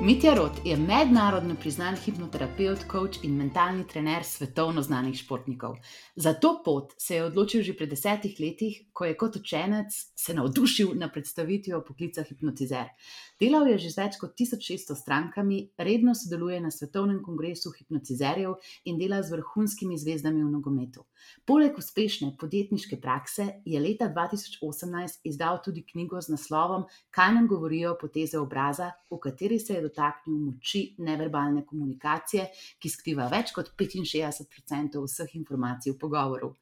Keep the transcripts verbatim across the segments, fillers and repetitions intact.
Mitja Rot je mednarodno priznan hipnoterapevt, coach in mentalni trener svetovno znanih športnikov. Za to pot se je odločil že pred desetih letih, ko je kot učenec se navdušil na predstavitvijo poklica hipnotizer. Delal je že z več kot tisoč šeststo strankami, redno sodeluje na svetovnem kongresu hipnotizerjev in dela z vrhunskimi zvezdami v nogometu. Poleg uspešne podjetniške prakse je leta dva tisoč osemnajst izdal tudi knjigo z naslovom Kaj nam govorijo poteze obraza, v kateri se je dotaknil moči neverbalne komunikacije, ki skriva več kot petinšestdeset procentov vseh informacij v pogovoru.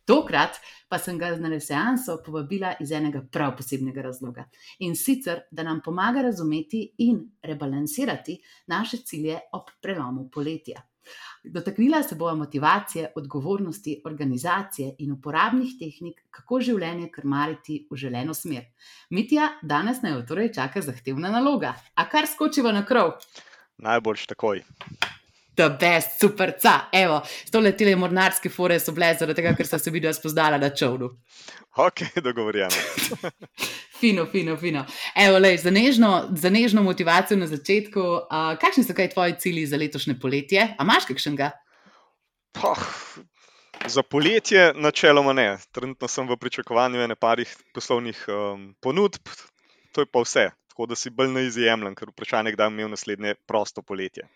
Tokrat pa sem ga na seanso povabila iz enega prav posebnega razloga. In sicer, da nam pomaga razumeti in rebalansirati naše cilje ob prelomu poletja. Dotaknila se bova motivacije, odgovornosti, organizacije in uporabnih tehnik, kako življenje krmariti v želeno smer. Mitja, danes naj jo torej čaka zahtevna naloga. A kar skočiva na krov? Najboljš takoj. The best, super, ca, evo, s tole tele mornarske fore so bile zaradi tega, ker sta se videla spoznala na čovnu. Ok, dogovorjeno. Fino, fino, fino. Evo, lej, za nežno, za nežno motivacijo na začetku, uh, kakšni so kaj tvoji cilji za letošnje poletje? A imaš kakšnega? Poh, za poletje načeloma ne. Trenutno sem v pričakovanju ene parih poslovnih um, ponudb, to je pa vse. Tako da si bolj ne izjemljem, ker vprašanje, kdaj bom imel naslednje prosto poletje.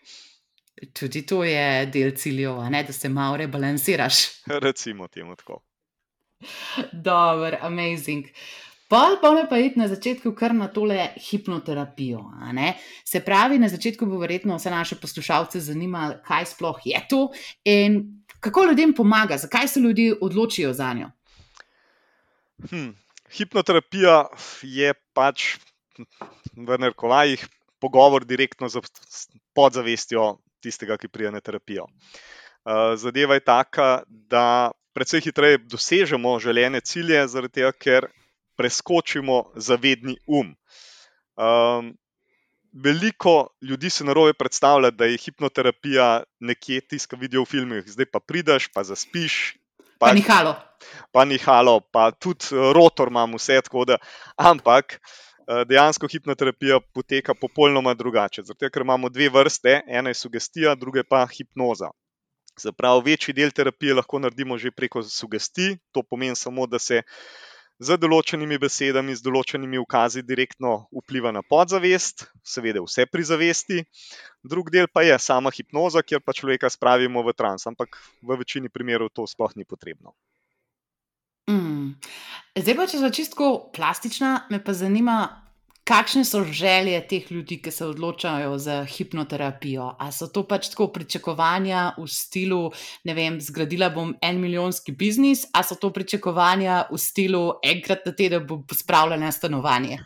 Tudi to je del ciljev, a ne, da se malo rebalansiraš. Recimo temu tako. Dober, amazing. Pol pa me pa iti na začetku kar na tole hipnoterapijo, a ne? Se pravi, na začetku bo verjetno vse naše poslušalce zanimalo, kaj sploh je to in kako ljudem pomaga, zakaj se ljudje odločijo zanjo. Hm, hipnoterapija je pač v narekovajih pogovor direktno z podzavestjo tistega, ki pride na terapijo. Zadeva je taka, da precej hitreje dosežemo želene cilje, zaradi tega, ker preskočimo zavedni um. Um, veliko ljudi se narobe predstavlja, da je hipnoterapija nekje tisto, kar vidijo v filmih, zdaj pa prideš, pa zaspiš. Pa, pa nihalo. Pa nihalo, pa tudi rotor imam vse, tako da, ampak dejansko hipnoterapija poteka popolnoma drugače. Zato, ker imamo dve vrste, ena je sugestija, druga je pa hipnoza. Se pravi, večji del terapije lahko naredimo že preko sugestij, to pomeni samo, da se z določenimi besedami, z določenimi ukazi direktno vpliva na podzavest, seveda vse pri zavesti. Drug del pa je sama hipnoza, kjer pa človeka spravimo v trans, ampak v večini primerov to sploh ni potrebno. Mm. Zdaj pa, če sva čisto plastična, me pa zanima, kakšne so želje teh ljudi, ki se odločajo za hipnoterapijo. A so to pač tako pričakovanja v stilu, ne vem, zgradila bom en milijonski biznis, a so to pričakovanja v stilu enkrat na teden bom pospravljala stanovanje?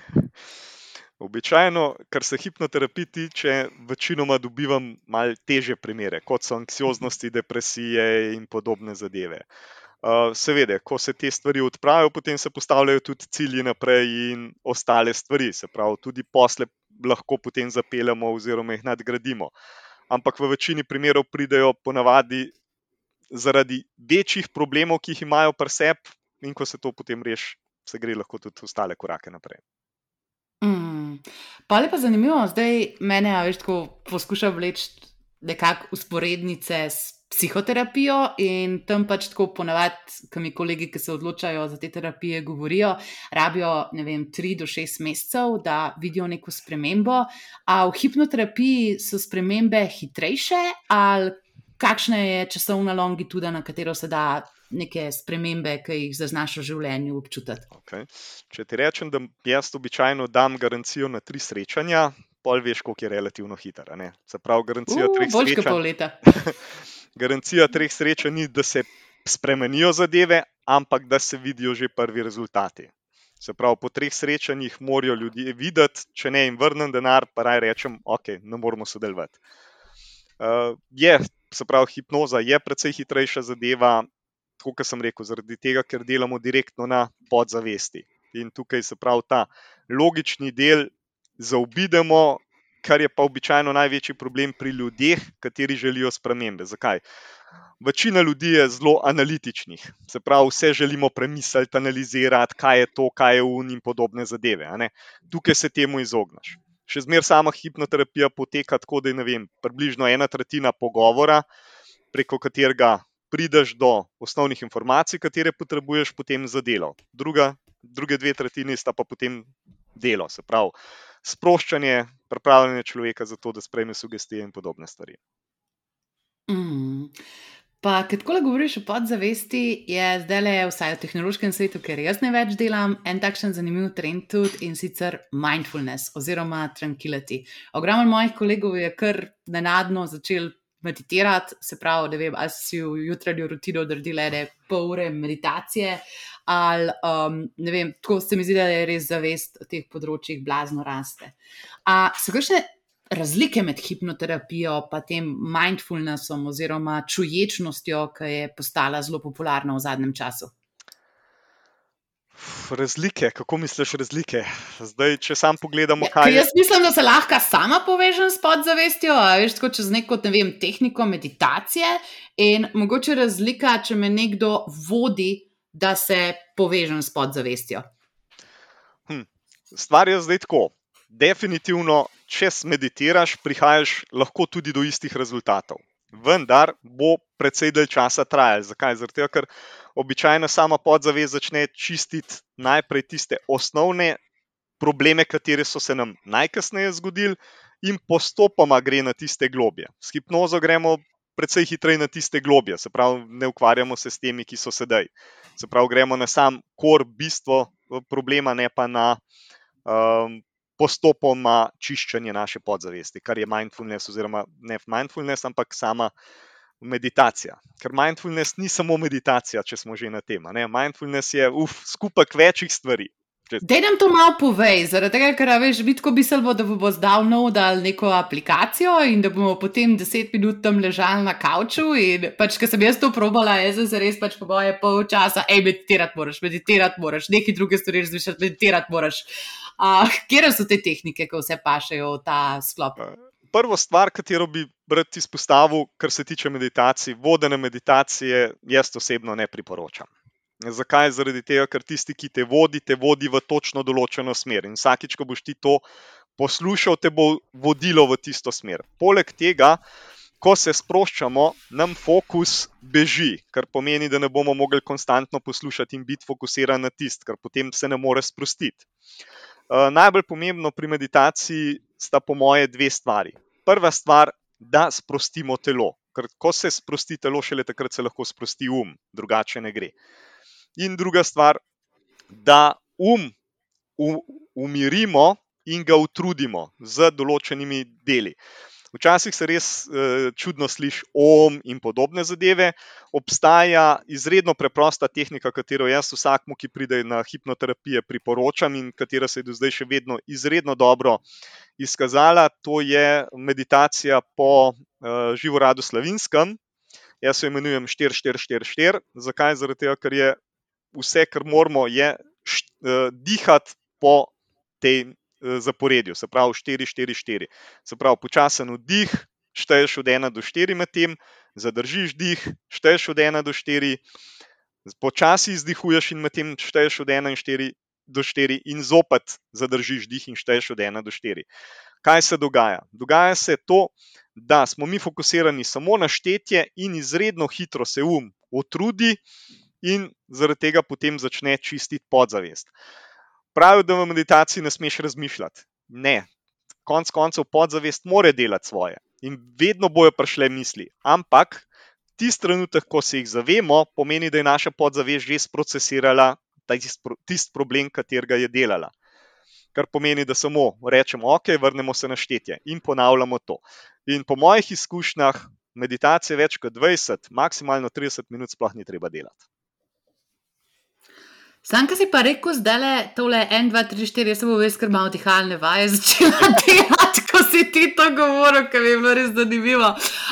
Običajno, kar se hipnoterapij tiče, večinoma dobivam malo težje primere, kot so anksioznosti, depresije in podobne zadeve. Uh, seveda, ko se te stvari odpravijo, potem se postavljajo tudi cilji naprej in ostale stvari, se pravi, tudi posle lahko potem zapeljamo oziroma jih nadgradimo. Ampak v večini primerov pridejo ponavadi zaradi večjih problemov, ki jih imajo pri sebi, in ko se to potem reši, se gre lahko tudi ostale korake naprej. Mm. Pa je pa zanimivo, zdaj mene, a veš, tako poskušam vleči nekako usporednice s psihoterapijo in tam pač tako ponavadi, ko mi kolegi, ki se odločajo za te terapije, govorijo, rabijo, ne vem, tri do šest mesecev, da vidijo neko spremembo. A v hipnoterapiji so spremembe hitrejše ali kakšna je časovna longituda, na katero se da neke spremembe, ki jih zaznaš v življenju občutiti? Okay. Če ti rečem, da jaz običajno dam garancijo na tri srečanja, pol veš, koliko je relativno hiter. Se pravi, garancija uh, treh boljš srečanj. Pol leta. Garancija treh srečanj ni, da se spremenijo zadeve, ampak da se vidijo že prvi rezultati. Se pravi, po treh srečanjih morajo ljudje videti, če ne jim vrnem denar, pa raj rečem, ok, ne moramo sodelovati. Uh, je, se pravi, hipnoza je precej hitrejša zadeva, tako kot sem rekel, zaradi tega, ker delamo direktno na podzavesti. In tukaj se pravi ta logični del zaobidemo, kar je pa običajno največji problem pri ljudeh, kateri želijo spremembe. Zakaj? Večina ljudi je zelo analitičnih, se pravi, vse želimo premisliti, analizirati, kaj je to, kaj je un in podobne zadeve. A ne? Tukaj se temu izogneš. še zmeraj sama hipnoterapija poteka tako, da je, ne vem, približno ena tretjina pogovora, preko katerega prideš do osnovnih informacij, katere potrebuješ potem za delo. Druga, druge dve tretjini sta pa potem delo, se pravi sproščanje, pripravljanje človeka za to, da sprejme sugestije in podobne stvari. Mm. Pa, kad tako govoriš o podzavesti, je zdaj le vsaj v tehnološkem svetu, ker jaz največ delam, en takšen zanimiv trend tudi, in sicer mindfulness oziroma tranquility. Ogromno mojih kolegov je kar nenadno začel meditirati, se pravi, da vem, ali si v jutranjo rutino odredila ene pol ure meditacije, ali um, ne vem, tako se mi zdi, da je res zavest o teh področjih blazno raste. A so kakšne razlike med hipnoterapijo pa tem mindfulnessom oziroma čuječnostjo, ki je postala zelo popularna v zadnjem času? Razlike, kako misliš razlike? Zdaj, če sam pogledamo, Ja, kaj ker je... jaz mislim, da se lahko sama povežem s podzavestjo, a veš, tako čez neko, ne vem, tehniko meditacije, in mogoče razlika, če me nekdo vodi, da se povežem s podzavestjo. Hm. Stvar je zdaj tako. Definitivno, če meditiraš, prihajaš lahko tudi do istih rezultatov. Vendar bo precej dalj časa trajalo. Zakaj? Zaradi tega, ker običajno sama podzavest začne čistiti najprej tiste osnovne probleme, katere so se nam najkasneje zgodili, in postopoma gre na tiste globje. S hipnozo gremo precej hitreje na tiste globje, se pravi, ne ukvarjamo se s temi, ki so sedaj. Se pravi, gremo na sam kor, bistvo problema, ne pa na um, postopoma čiščenje naše podzavesti, kar je mindfulness oziroma ne mindfulness, ampak sama meditacija. Ker mindfulness ni samo meditacija, če smo že na tem. Ne? Mindfulness je uf, skupek večjih stvari. Dej nam to malo povej, zaradi tega, ker veš, bi tako mislil, da bo zdaj downloadal neko aplikacijo in da bomo potem deset minut tam ležali na kavču in pač, ker sem jaz to probala, jaz sem se res pač po moje pol časa, ej, meditirati moraš, meditirati moraš, nekaj druge stvari razmišljati, meditirati moraš. Uh, kjere so te tehnike, ko vse pašejo v ta sklop? Prvo stvar, katero bi rad izpostavil, kar se tiče meditacij, vodene meditacije, jaz osebno ne priporočam. Zakaj? Zaradi tega, ker tisti, ki te vodi, te vodi v točno določeno smer. In vsakič, ko boš ti to poslušal, te bo vodilo v tisto smer. Poleg tega, ko se sproščamo, nam fokus beži, kar pomeni, da ne bomo mogli konstantno poslušati in biti fokusiran na tist, ker potem se ne more sprostiti. Uh, najbolj pomembno pri meditaciji sta po moje dve stvari. Prva stvar, da sprostimo telo, ker ko se sprosti telo, šele takrat se lahko sprosti um, drugače ne gre. In druga stvar, da um umirimo in ga utrudimo z določenimi deli. Včasih se res uh, čudno sliši om in podobne zadeve. Obstaja izredno preprosta tehnika, katero jaz vsakmu, ki pride na hipnoterapije, priporočam in katera se je do zdaj še vedno izredno dobro izkazala. To je meditacija po uh, Živoradu Slavinskem. Jaz jo imenujem štiri štiri štiri štiri. Zakaj? Zaradi tega, ker je vse, kar moramo, je št, uh, dihati po tej zaporedju, se pravi štiri štiri štiri. Se pravi, počasen vdih, šteješ od ena do štiri med tem, zadržiš dih, šteješ od ena do štiri, počasi izdihuješ in med tem šteješ od ena do štiri in zopet zadržiš dih in šteješ od ena do štiri. Kaj se dogaja? Dogaja se to, da smo mi fokusirani samo na štetje in izredno hitro se um utrudi in zaradi tega potem začne čistiti podzavest. Pravijo, da v meditaciji ne smeš razmišljati. Ne, konc koncev podzavest mora delati svoje in vedno bojo prišle misli. Ampak tisti trenutek, ko se jih zavemo, pomeni, da je naša podzavest že sprocesirala tisti problem, katerega je delala. Kar pomeni, da samo rečemo, ok, vrnemo se na štetje in ponavljamo to. In po mojih izkušnjah meditacije več kot dvajset, maksimalno trideset minut sploh ni treba delati. Sanka si pa rekel zdajle tole en, dva, tri, štiri, jaz se bo ves kar malo dihalne vaje začela delati, ko si ti to govoril, ker mi je bilo res zanimivo.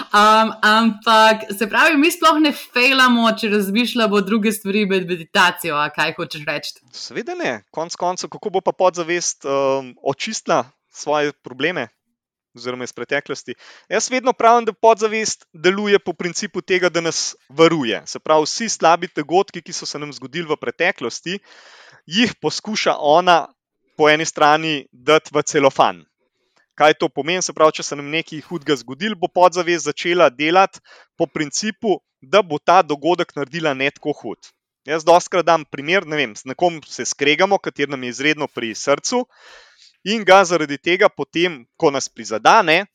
Um, ampak se pravi, mi sploh ne fejlamo, če razmišljamo druge stvari med meditacijo, a kaj hočeš reči? Seveda ne, konc koncev, kako bo pa podzavest um, očistila svoje probleme oziroma iz preteklosti. Jaz vedno pravim, da podzavest deluje po principu tega, da nas varuje. Se pravi, vsi slabi dogodki, ki so se nam zgodili v preteklosti, jih poskuša ona po eni strani dati v celofan. Kaj to pomeni? Se pravi, če se nam nekaj hudega zgodil, bo podzavest začela delati po principu, da bo ta dogodek naredila ne tako hud. Jaz dostikrat dam primer, ne vem, s nekom se skregamo, kateri nam je izredno pri srcu in ga zaradi tega potem, ko nas prizadane,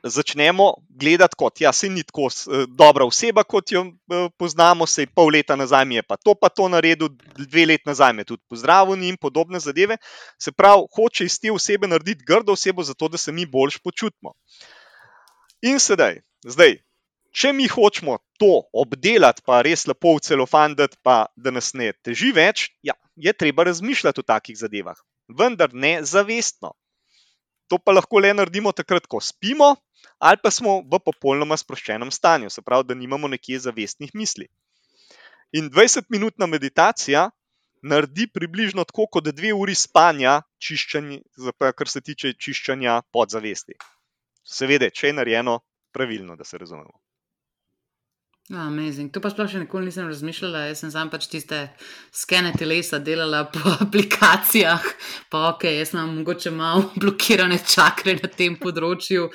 začnemo gledati kot, ja, saj ni tako dobra oseba, kot jo poznamo, saj pol leta nazaj mi je pa to pa to naredil, dve let nazaj me tudi pozdravil in podobne zadeve. Se pravi, hoče iz te osebe narediti grdo osebo, zato da se mi boljš počutimo. In sedaj, zdaj, če mi hočemo to obdelati, pa res lepo v celofan dati, pa da nas ne teži več, ja, je treba razmišljati o takih zadevah, vendar ne zavestno. To pa lahko le naredimo takrat, ko spimo, ali pa smo v popolnoma sproščenem stanju, se pravi, da nimamo nekje zavestnih misli. In dvajsetminutna meditacija naredi približno tako kot dve uri spanja, kar se tiče čiščenja podzavesti. Seveda, če je narejeno pravilno, da se razumemo. Amazing. To pa sploh še nikoli nisem razmišljala, jaz sem sam pač tiste skene telesa delala po aplikacijah, pa ok, jaz imam mogoče malo blokirane čakre na tem področju,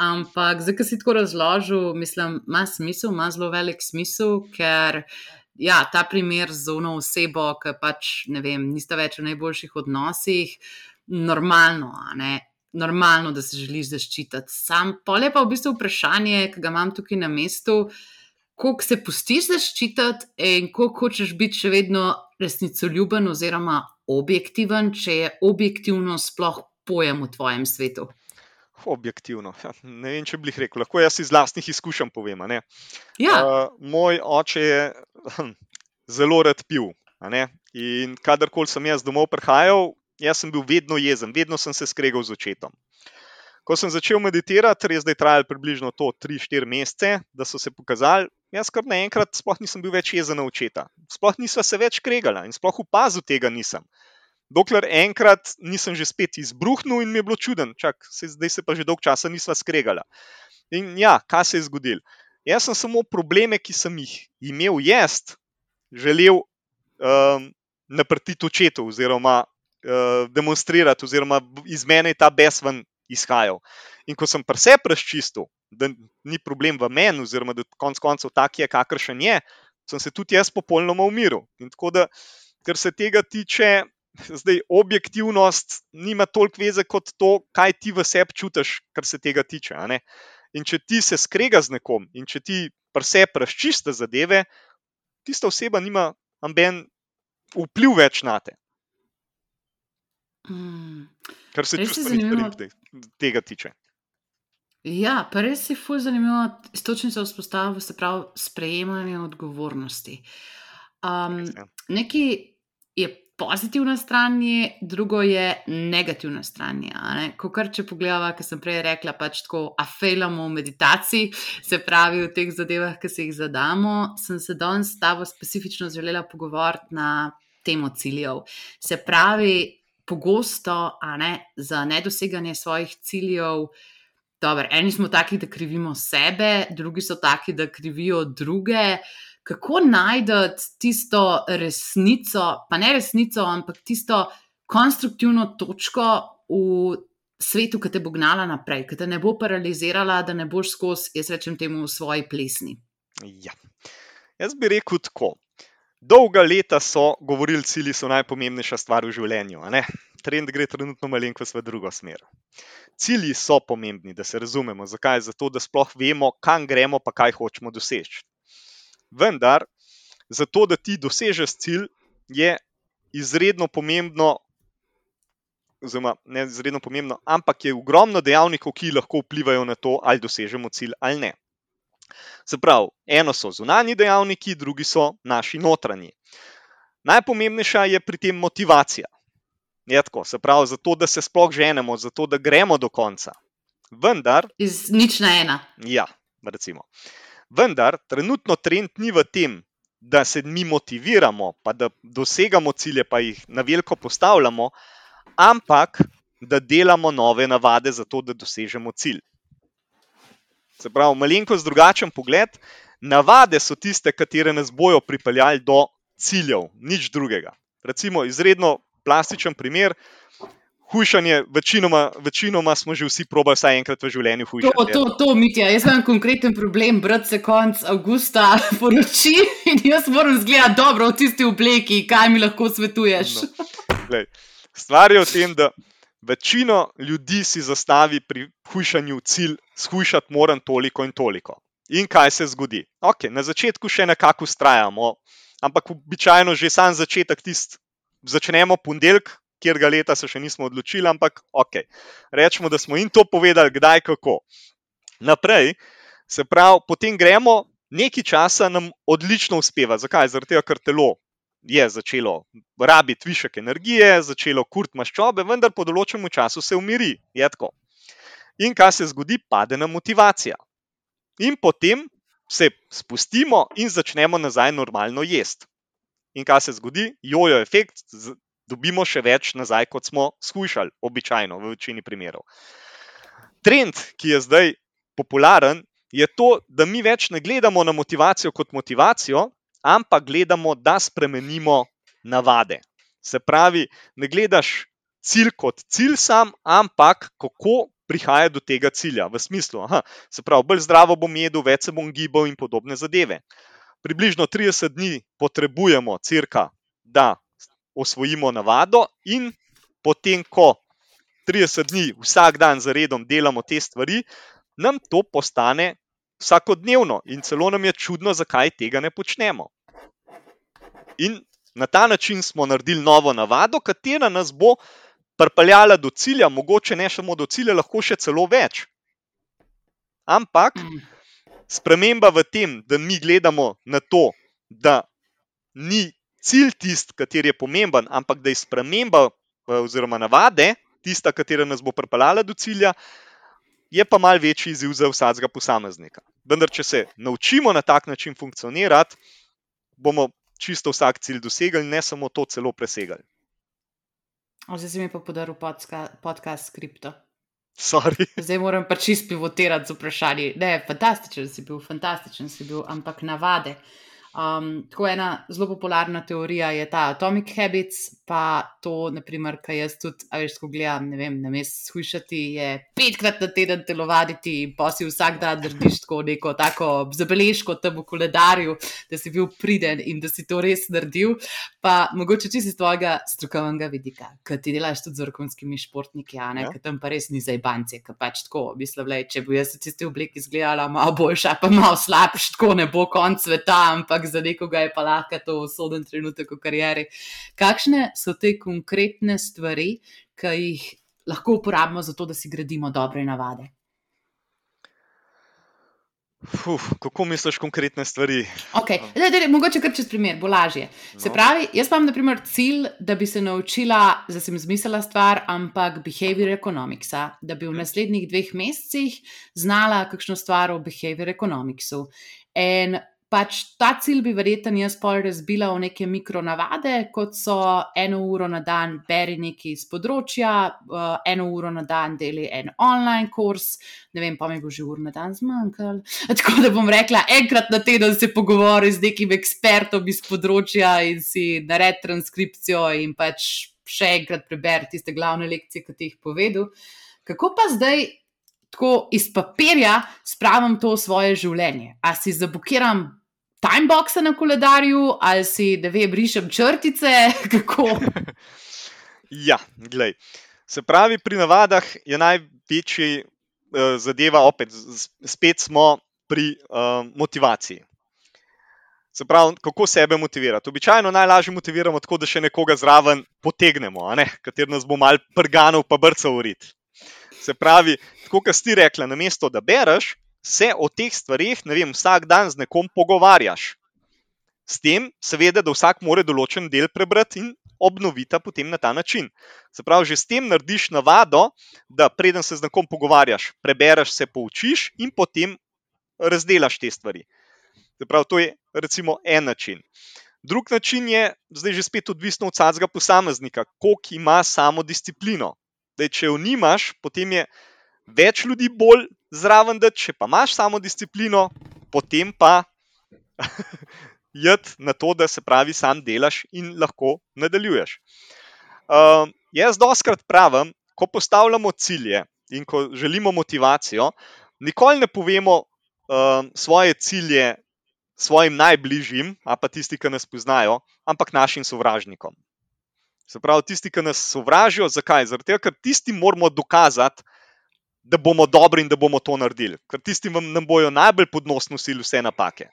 ampak zdaj, ko si tako razložil, mislim, ima smisel, ima zelo velik smisel, ker ja, ta primer z ono osebo, ki pač, ne vem, nista več v najboljših odnosih, normalno, a ne, normalno, da se želiš zaščititi. Sam pol je pa v bistvu vprašanje, ki ga imam tukaj na mestu, koliko se pustiš zaščititi in koliko hočeš biti še vedno resnicoljuben oziroma objektiven, če je objektivno sploh pojem v tvojem svetu. Objektivno, ja, ne vem, če bi jih rekel, lahko jaz iz lastnih izkušenj povem. A ne? Ja. Uh, moj oče je hm, zelo rad pil, a ne? In kadarkoli sem jaz domov prihajal, jaz sem bil vedno jezen, vedno sem se skregal z očetom. Ko sem začel meditirati, res zdaj trajalo približno to tri štiri mesece, da so se pokazali, jaz kar naenkrat sploh nisem bil več jezen na očeta. Sploh nisva se več kregala in sploh opazil tega nisem. Dokler enkrat nisem že spet izbruhnil in mi je bilo čuden, čak, zdaj se pa že dolgo časa nisva skregala. In ja, kaj se je zgodilo? Jaz sem samo probleme, ki sem jih imel jaz, želel um, naprtiti očetu oziroma uh, demonstrirati oziroma iz mene je ta bes ven izhajal. In ko sem pri sebi razčistil, da ni problem v meni oziroma da konec koncev tak je, kakršen je, sem se tudi jaz popolnoma umiril. In tako da, kar se tega tiče, zdaj objektivnost nima toliko veze kot to, kaj ti v sebi čutiš, kar se tega tiče. A ne? In če ti se skrega z nekom in če ti pri sebi razčiste zadeve, tista oseba nima noben vpliv več nate. Mm. Kar se čustvenih stvari tega tiče. Ja, pa res je ful zanimivo istočnico vzpostavil, se pravi sprejemanje odgovornosti. Um, nekaj je pozitivna stran, drugo je negativna stran. Kakor če pogledava, ker sem prej rekla, pač tako afejlamo v meditaciji, se pravi v teh zadevah, ki se jih zadamo, sem se danes s tabo specifično želela pogovoriti na temo ciljev. Se pravi, pogosto, a ne, za nedoseganje svojih ciljev, dobro, eni smo taki, da krivimo sebe, drugi so taki, da krivijo druge. Kako najdeti tisto resnico, pa ne resnico, ampak tisto konstruktivno točko v svetu, ki te bo gnala naprej, ki te ne bo paralizirala, da ne boš skozi, jaz rečem temu, v svoji plesni? Ja, jaz bi rekel tako. Dolga leta so govorili, cilji so najpomembnejša stvar v življenju. A ne? Trend gre trenutno malenkost v drugo smer. Cilji so pomembni, da se razumemo. Zakaj? Zato, da sploh vemo, kam gremo, pa kaj hočemo doseči. Vendar, zato, da ti dosežeš cilj, je izredno pomembno, oziroma ne izredno pomembno, ampak je ogromno dejavnikov, ki lahko vplivajo na to, ali dosežemo cilj ali ne. Se pravi, eno so zunanji dejavniki, drugi so naši notranji. Najpomembnejša je pri tem motivacija. Je tako, se pravi, zato, da se sploh ženemo, zato, da gremo do konca. Vendar... Iz nič na ena. Ja, recimo. Vendar, trenutno trend ni v tem, da se mi motiviramo, pa da dosegamo cilje, pa jih na veliko postavljamo, ampak da delamo nove navade za to, da dosežemo cilj. Se pravi, malenkost drugačen pogled, navade so tiste, katere nas bojo pripeljali do ciljev, nič drugega. Recimo, izredno plastičen primer, hujšanje, večinoma, večinoma smo že vsi probali vsaj enkrat v življenju To, hujšati. to, to, Mitja, jaz imam konkreten problem, brat se konc avgusta poroči in jaz moram zgledati dobro v tisti obleki, kaj mi lahko svetuješ. No, glej, stvar je v tem, da večino ljudi si zastavi pri hujšanju cilj, shujšati moram toliko in toliko. In kaj se zgodi? Ok, na začetku še nekako vztrajamo, ampak običajno že sam začetek tist, začnemo ponedeljek, kjer ga leta se še nismo odločili, ampak ok, rečemo, da smo jim to povedali, kdaj, kako. Naprej, se pravi, potem gremo, nekaj časa nam odlično uspeva. Zakaj? Zaradi tega, ker telo je začelo rabiti višek energije, začelo kuriti maščobe, vendar po določenem času se umiri. Je tako. In kaj se zgodi? Pade nam motivacija. In potem se spustimo in začnemo nazaj normalno jesti. In kaj se zgodi? Jojo efekt, dobimo še več nazaj, kot smo shujšali, običajno, v večini primerov. Trend, ki je zdaj popularen, je to, da mi več ne gledamo na motivacijo kot motivacijo, ampak gledamo, da spremenimo navade. Se pravi, ne gledaš cilj kot cilj sam, ampak kako prihaja do tega cilja. V smislu, aha, se pravi, bolj zdravo bom jedel, več se bom gibal in podobne zadeve. Približno trideset dni potrebujemo cirka, da osvojimo navado in potem, ko trideset dni vsak dan zaredom delamo te stvari, nam to postane vsakodnevno in celo nam je čudno, zakaj tega ne počnemo. In na ta način smo naredili novo navado, katera nas bo pripeljala do cilja, mogoče ne samo do cilja, lahko še celo več. Ampak sprememba v tem, da mi gledamo na to, da ni cilj tist, kateri je pomemben, ampak da je sprememba oziroma navade tista, katera nas bo pripeljala do cilja, je pa mal večji izziv za vsakega posameznika. Vendar, če se naučimo na tak način funkcionirati, bomo čisto vsak cilj dosegli, ne samo to, celo presegli. Zdaj si mi pa podaril podcast, podcast skripto. Sorry. Zdaj moram pa čist pivotirati z vprašanji. Ne, fantastičen si bil, fantastičen si bil, ampak navade. Um, tako ena zelo popularna teorija je ta Atomic Habits, pa to, naprimer, kaj jaz tudi, a veš, ko gledam, ne vem, namesto shujšati, je petkrat na teden telovaditi in pa si vsak dan narediš tako neko tako zabeležko tam v koledarju, da si bil priden in da si to res naredil, pa mogoče čisto iz tvojega strokovnega vidika, ker ti delaš tudi z vrhunskimi športniki, a ne, Ja. ker tam pa res ni zajbancije, ker pač tako, mislim, lej, če bi jaz v tisti obleki izgledala malo boljša, pa malo slabš, tako ne bo konc sveta, ampak za nekoga je pa lahko to usoden trenutek v karieri. Kakšne so te konkretne stvari, ki jih lahko uporabimo za to, da si gradimo dobre navade? Uf, kako misliš konkretne stvari? Ok, daj, daj, mogoče kar čez primer, bo lažje. Se No. pravi, jaz imam na primer cilj, da bi se naučila, da sem izmislila stvar, ampak behavior economicsa, da bi v naslednjih dveh mesecih znala kakšno stvar o behavior economicsu. In pač ta cilj bi verjetno jaz pol razbila v neke mikronavade, kot so eno uro na dan beri nekaj iz področja, uh, eno uro na dan deli en online kurs, ne vem, pa mi bo že ur na dan zmanjkalo. Tako da bom rekla, enkrat na teden se pogovori z nekim ekspertom iz področja in si naredi transkripcijo in pač še enkrat preberi tiste glavne lekcije, ki ti jih povedal. Kako pa zdaj tako iz papirja spravim to v svoje življenje? A si zabukiram timeboxe na koledarju, ali si, da vem, rišem črtice, kako? Ja, glej. Se pravi, pri navadah je največji uh, zadeva, opet, z- spet smo pri uh, motivaciji. Se pravi, kako sebe motivirati. Običajno najlažje motiviramo tako, da še nekoga zraven potegnemo, a ne, kater nas bo mal prganil pa brcal v rit. Se pravi, tako kot si ti rekla, namesto da bereš, se o teh stvarih, ne vem, vsak dan z nekom pogovarjaš. S tem, seveda, da vsak mora določen del prebrati in obnoviti potem na ta način. Se pravi, že s tem narediš navado, da preden se z nekom pogovarjaš, prebereš, se poučiš in potem razdelaš te stvari. Se pravi, to je recimo en način. Drug način je, zdaj že spet odvisno od vsakega posameznika, koliko ima samodisciplino. Zdaj, če jo nimaš, potem je več ljudi bolj zraven, da če pa imaš samodisciplino, potem pa jed na to, da se pravi sam delaš in lahko nadaljuješ. Uh, jaz doskrat pravim, ko postavljamo cilje in ko želimo motivacijo, nikoli ne povemo uh, svoje cilje svojim najbližjim, a pa tisti, ki nas poznajo, ampak našim sovražnikom. Se pravi, tisti, ki nas sovražijo, zakaj? Zato, ker tisti moramo dokazati, da bomo dobri in da bomo to naredili. Ker tisti nam bojo najbolj pod nos nosili vse napake.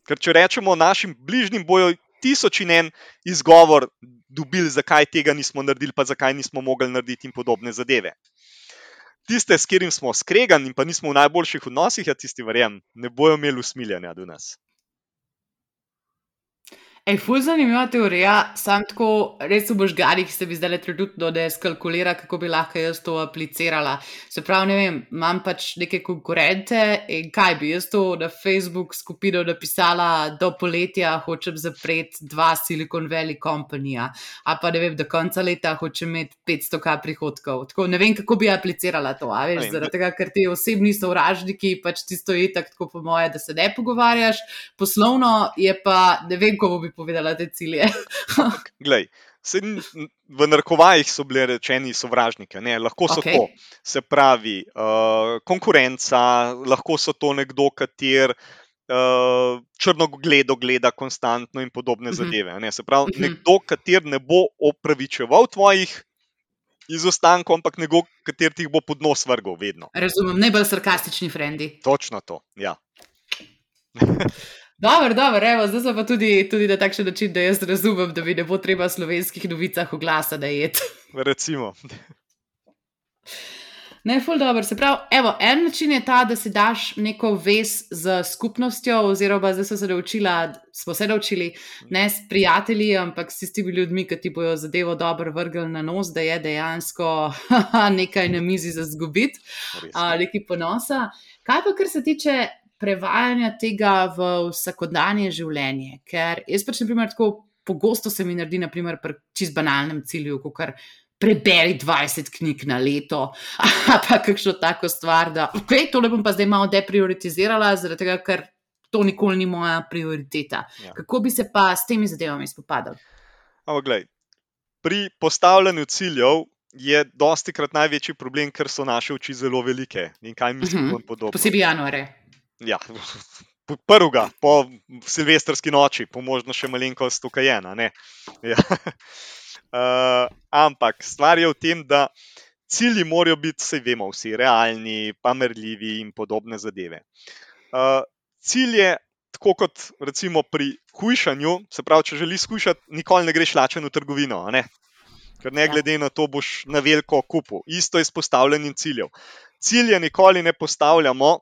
Ker če rečemo našim bližnjim, bojo tisoč in en izgovor dobili, zakaj tega nismo naredili, pa zakaj nismo mogli narediti in podobne zadeve. Tiste, s katerim smo skregani in pa nismo v najboljših odnosih, ja, tisti, verjamem, ne bojo imeli usmiljanja do nas. Ej, ful zanimiva teorija, sam tako res v možganih se bi zdaj trenutno ne skalkulira, kako bi lahko jaz to aplicirala. Se pravi, ne vem, imam pač neke konkurente in kaj bi jaz to na Facebook skupino napisala, do poletja hočem zapreti dva Silicon Valley kompanija, a pa ne vem, do konca leta hočem imeti petsto tisoč prihodkov. Tako ne vem, kako bi aplicirala to, a veš, zaradi tega, ker ti osebni sovražniki pač tisto je tak, tako po moje, da se ne pogovarjaš, poslovno je pa, ne vem, ko bi povedala te cilje. Glej, v narekovajih so bile rečeni sovražniki, ne, lahko so Okay. to, se pravi, uh, konkurenca, lahko so to nekdo, kater uh, črnogledo gleda konstantno in podobne Mhm. zadeve. Ne, se pravi, Mhm. nekdo, kater ne bo opravičeval tvojih izostankov, ampak nekdo, kater ti jih bo pod nos vrgel vedno. Razumem, najbolj sarkastični frendi. Točno to, ja. Dobro, dobro, evo, zdaj so pa tudi, tudi na takšen način, da jaz razumem, da mi ne bo treba v slovenskih novicah oglasa najeti. Recimo. Ne, ful dobro. Se pravi, evo, en način je ta, da si daš neko vez z skupnostjo, oziroma zdaj so se naučila, smo se naučili, ne s prijatelji, ampak s tistimi ljudmi, ki ti bojo zadevo dobro vrgli na nos, da je dejansko nekaj na mizi za zgubiti, Res. a, nekaj ponosa. Kaj pa, kar se tiče prevajanja tega v vsakodanje življenje? Ker jaz pač, na primer, tako pogosto se mi naredi, na primer, pri čist banalnem cilju, kakor preberi dvajset knjig na leto, a pa kakšno tako stvar, da ok, tole bom pa zdaj malo deprioritizirala, zaradi tega, ker to nikoli ni moja prioriteta. Ja. Kako bi se pa s temi zadevami spopadali? Ampak glej, pri postavljanju ciljev je dostikrat največji problem, ker so naše oči zelo velike in kaj mislimo in podobno. Posebej januare. Ja, prvega, po silvestrski noči, po možno še malenkost tukajena, ne. Ja. Uh, ampak stvar je v tem, da cilji morajo biti, saj vemo vsi, realni, pa merljivi in podobne zadeve. Uh, cilj je, tako kot recimo pri hujšanju, se pravi, če želiš hujšati, nikoli ne greš lačen v trgovino, a ne? Ker ne glede na to boš na veliko kupil. Isto je s postavljanjem ciljev. Cilje nikoli ne postavljamo,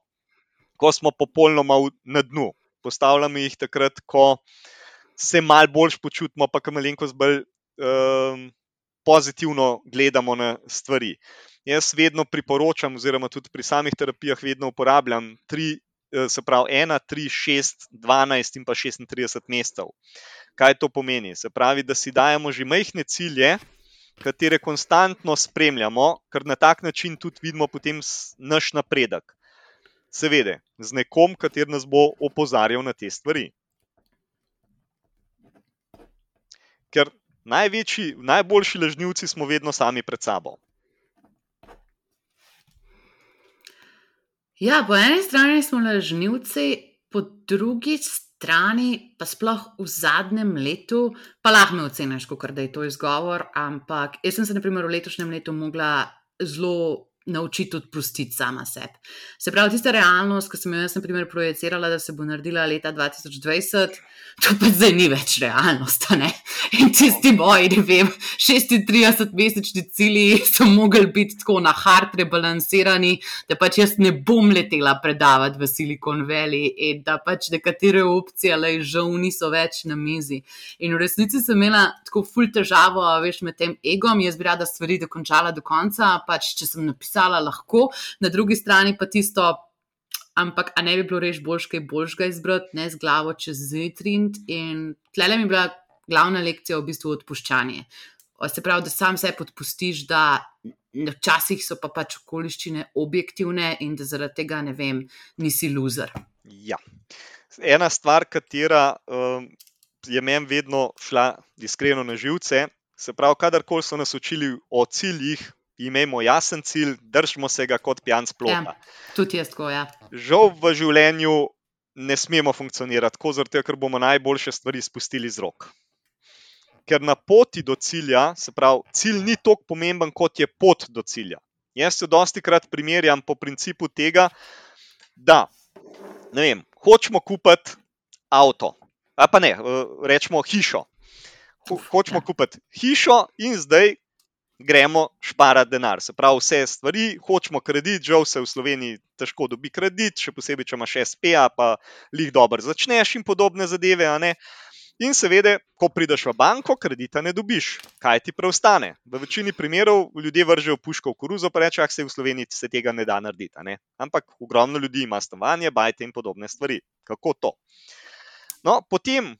ko smo popolnoma na dnu. Postavljamo jih takrat, ko se malo bolj počutimo, pa ko malenkost bolj um, pozitivno gledamo na stvari. Jaz vedno priporočam, oziroma tudi pri samih terapijah vedno uporabljam tri, se pravi ena, tri, šest, dvanajst in pa šestintrideset mesecev. Kaj to pomeni? Se pravi, da si dajemo že majhne cilje, katere konstantno spremljamo, ker na tak način tudi vidimo potem naš napredek. Seveda, z nekom, kater nas bo opozarjal na te stvari. Ker največji, najboljši lažnivci smo vedno sami pred sabo. Ja, po eni strani smo lažnivci, po drugi strani, pa sploh v zadnjem letu, pa lahko me oceniš, kakor da je to izgovor, ampak jaz sem se na primer v letošnjem letu mogla zelo naučiti odpustiti sama sebi. Se pravi, tista realnost, ki sem jo jaz na primer projecirala, da se bo naredila leta dva tisoč dvajset, to pa zdaj ni več realnost, a ne? In tisti moji, ne vem, šestintridesetmesečni cilji so mogli biti tako na hard rebalansirani, da pač jaz ne bom letela predavati v Silicon Valley in da pač nekatere opcije, le žal, niso več na mizi. In v resnici sem imela tako ful težavo, veš, med tem egom, jaz bi rada stvari dokončala do konca, pač če sem napisala lahko, na drugi strani pa tisto, ampak a ne bi bilo res boljš kaj boljšega izbrati, ne z glavo čez zid rind, in tlele mi je bila glavna lekcija v bistvu odpuščanje. Se pravi, da sam sebi odpustiš, da včasih so pa pač okoliščine objektivne in da zaradi tega, ne vem, nisi loser. Ja. Ena stvar, katera um, je meni vedno šla iskreno na živce, Se pravi, kadarkoli so nas učili o ciljih, imejmo jasen cilj, držimo se ga kot pijan s plota. Ja, tudi jaz tako, ja. Žal v življenju ne smemo funkcionirati tako, zato ker bomo najboljše stvari spustili z rok. Ker na poti do cilja, se pravi, cilj ni toliko pomemben, kot je pot do cilja. Jaz se dosti krat primerjam po principu tega, da ne vem, hočemo kupiti avto, a pa ne, rečemo hišo. Ho, hočemo ja. kupiti hišo in zdaj gremo šparati denar. Se pravi, vse stvari, hočemo kredit, žal se v Sloveniji težko dobi kredit, še posebej, če imaš es pe, pa lih dobro začneš in podobne zadeve, a ne. In seveda, ko prideš v banko, kredita ne dobiš. Kaj ti preostane? V večini primerov ljudje vržejo puško v koruzo, pa reče, ah, se v Sloveniji se tega ne da narediti, a ne. Ampak ogromno ljudi ima stanovanje, bajte in podobne stvari. Kako to? No, potem,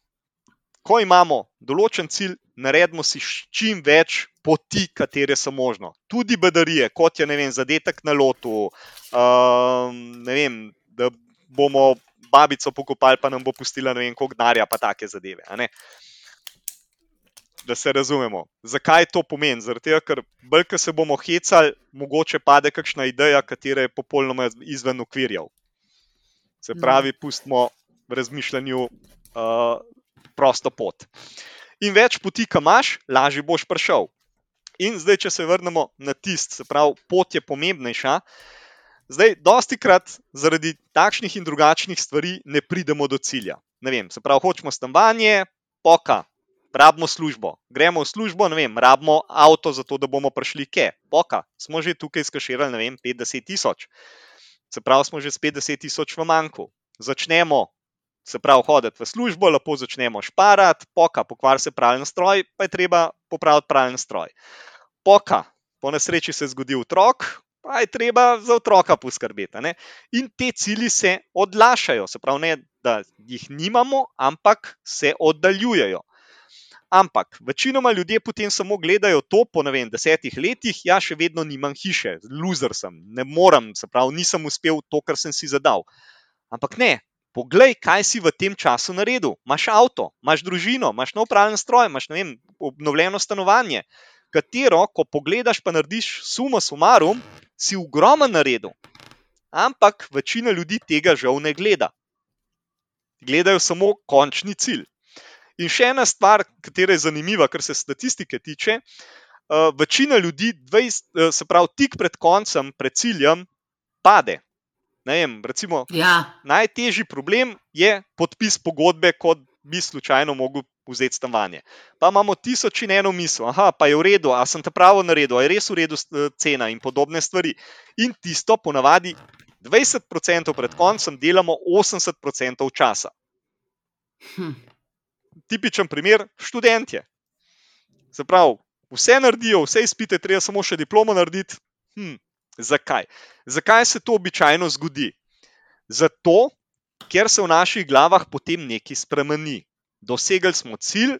ko imamo določen cilj, naredimo si čim več poti, katere so možno. Tudi bedarije, kot je, ne vem, zadetek na lotu, um, ne vem, da bomo babico pokopali, pa nam bo pustila, ne vem, koliko denarja, pa take zadeve, a ne. Da se razumemo. Zakaj to pomeni? Zaradi tega, ker bolj, ko se bomo hecali, mogoče pade kakšna ideja, katera je popolnoma izven okvirjev. Se pravi, pustimo v razmišljanju uh, prosto pot. In več poti, ki imaš, lažje boš prišel. In zdaj, če se vrnemo na tist, se pravi, pot je pomembnejša. Zdaj, dosti krat zaradi takšnih in drugačnih stvari ne pridemo do cilja. Ne vem, se pravi, hočemo stanovanje, poka, rabimo službo. Gremo v službo, ne vem, rabimo avto za to, da bomo prišli ke. Poka, smo že tukaj skaširali, ne vem, petdeset tisoč. Se pravi, smo že s petdeset tisoč v manjku. Začnemo, se pravi, hoditi v službo, lepo začnemo šparati, poka, pokvari se pralni stroj, pa je treba popraviti pralni stroj. Poka, po nesreči se zgodi otrok, pa je treba za otroka poskrbeti. Ne? In te cilji se odlašajo, se pravi, ne, da jih nimamo, ampak se oddaljujejo. Ampak večinoma ljudje potem samo gledajo to po, ne vem, desetih letih, ja, še vedno nimam hiše, loser sem, ne morem, se pravi, nisem uspel to, kar sem si zadal. Ampak ne, poglej, kaj si v tem času naredil. Imaš avto, imaš družino, imaš nov pralni stroj, imaš, ne vem, obnovljeno stanovanje, katero, ko pogledaš, pa narediš suma sumarum, si ogromen naredil. Ampak večina ljudi tega žal ne gleda. Gledajo samo končni cilj. In še ena stvar, katera je zanimiva, kar se statistike tiče, uh, večina ljudi, dvajset, uh, se pravi, tik pred koncem, pred ciljem, pade. Ne vem, recimo, Ja. najtežji problem je podpis pogodbe, kot bi slučajno mogel vzeti stanovanje. Pa imamo tisoč in eno misel, aha, pa je v redu, a sem te pravo naredil, a je res v redu cena in podobne stvari. In tisto ponavadi dvajset procentov pred koncem delamo osemdeset procentov časa. Hm. Tipičen primer, študentje. Se pravi, vse naredijo, vse izpite, treba samo še diplomo narediti. Hm, zakaj? Zakaj se to običajno zgodi? Zato, ker se v naših glavah potem nekaj spremeni. Dosegli smo cilj,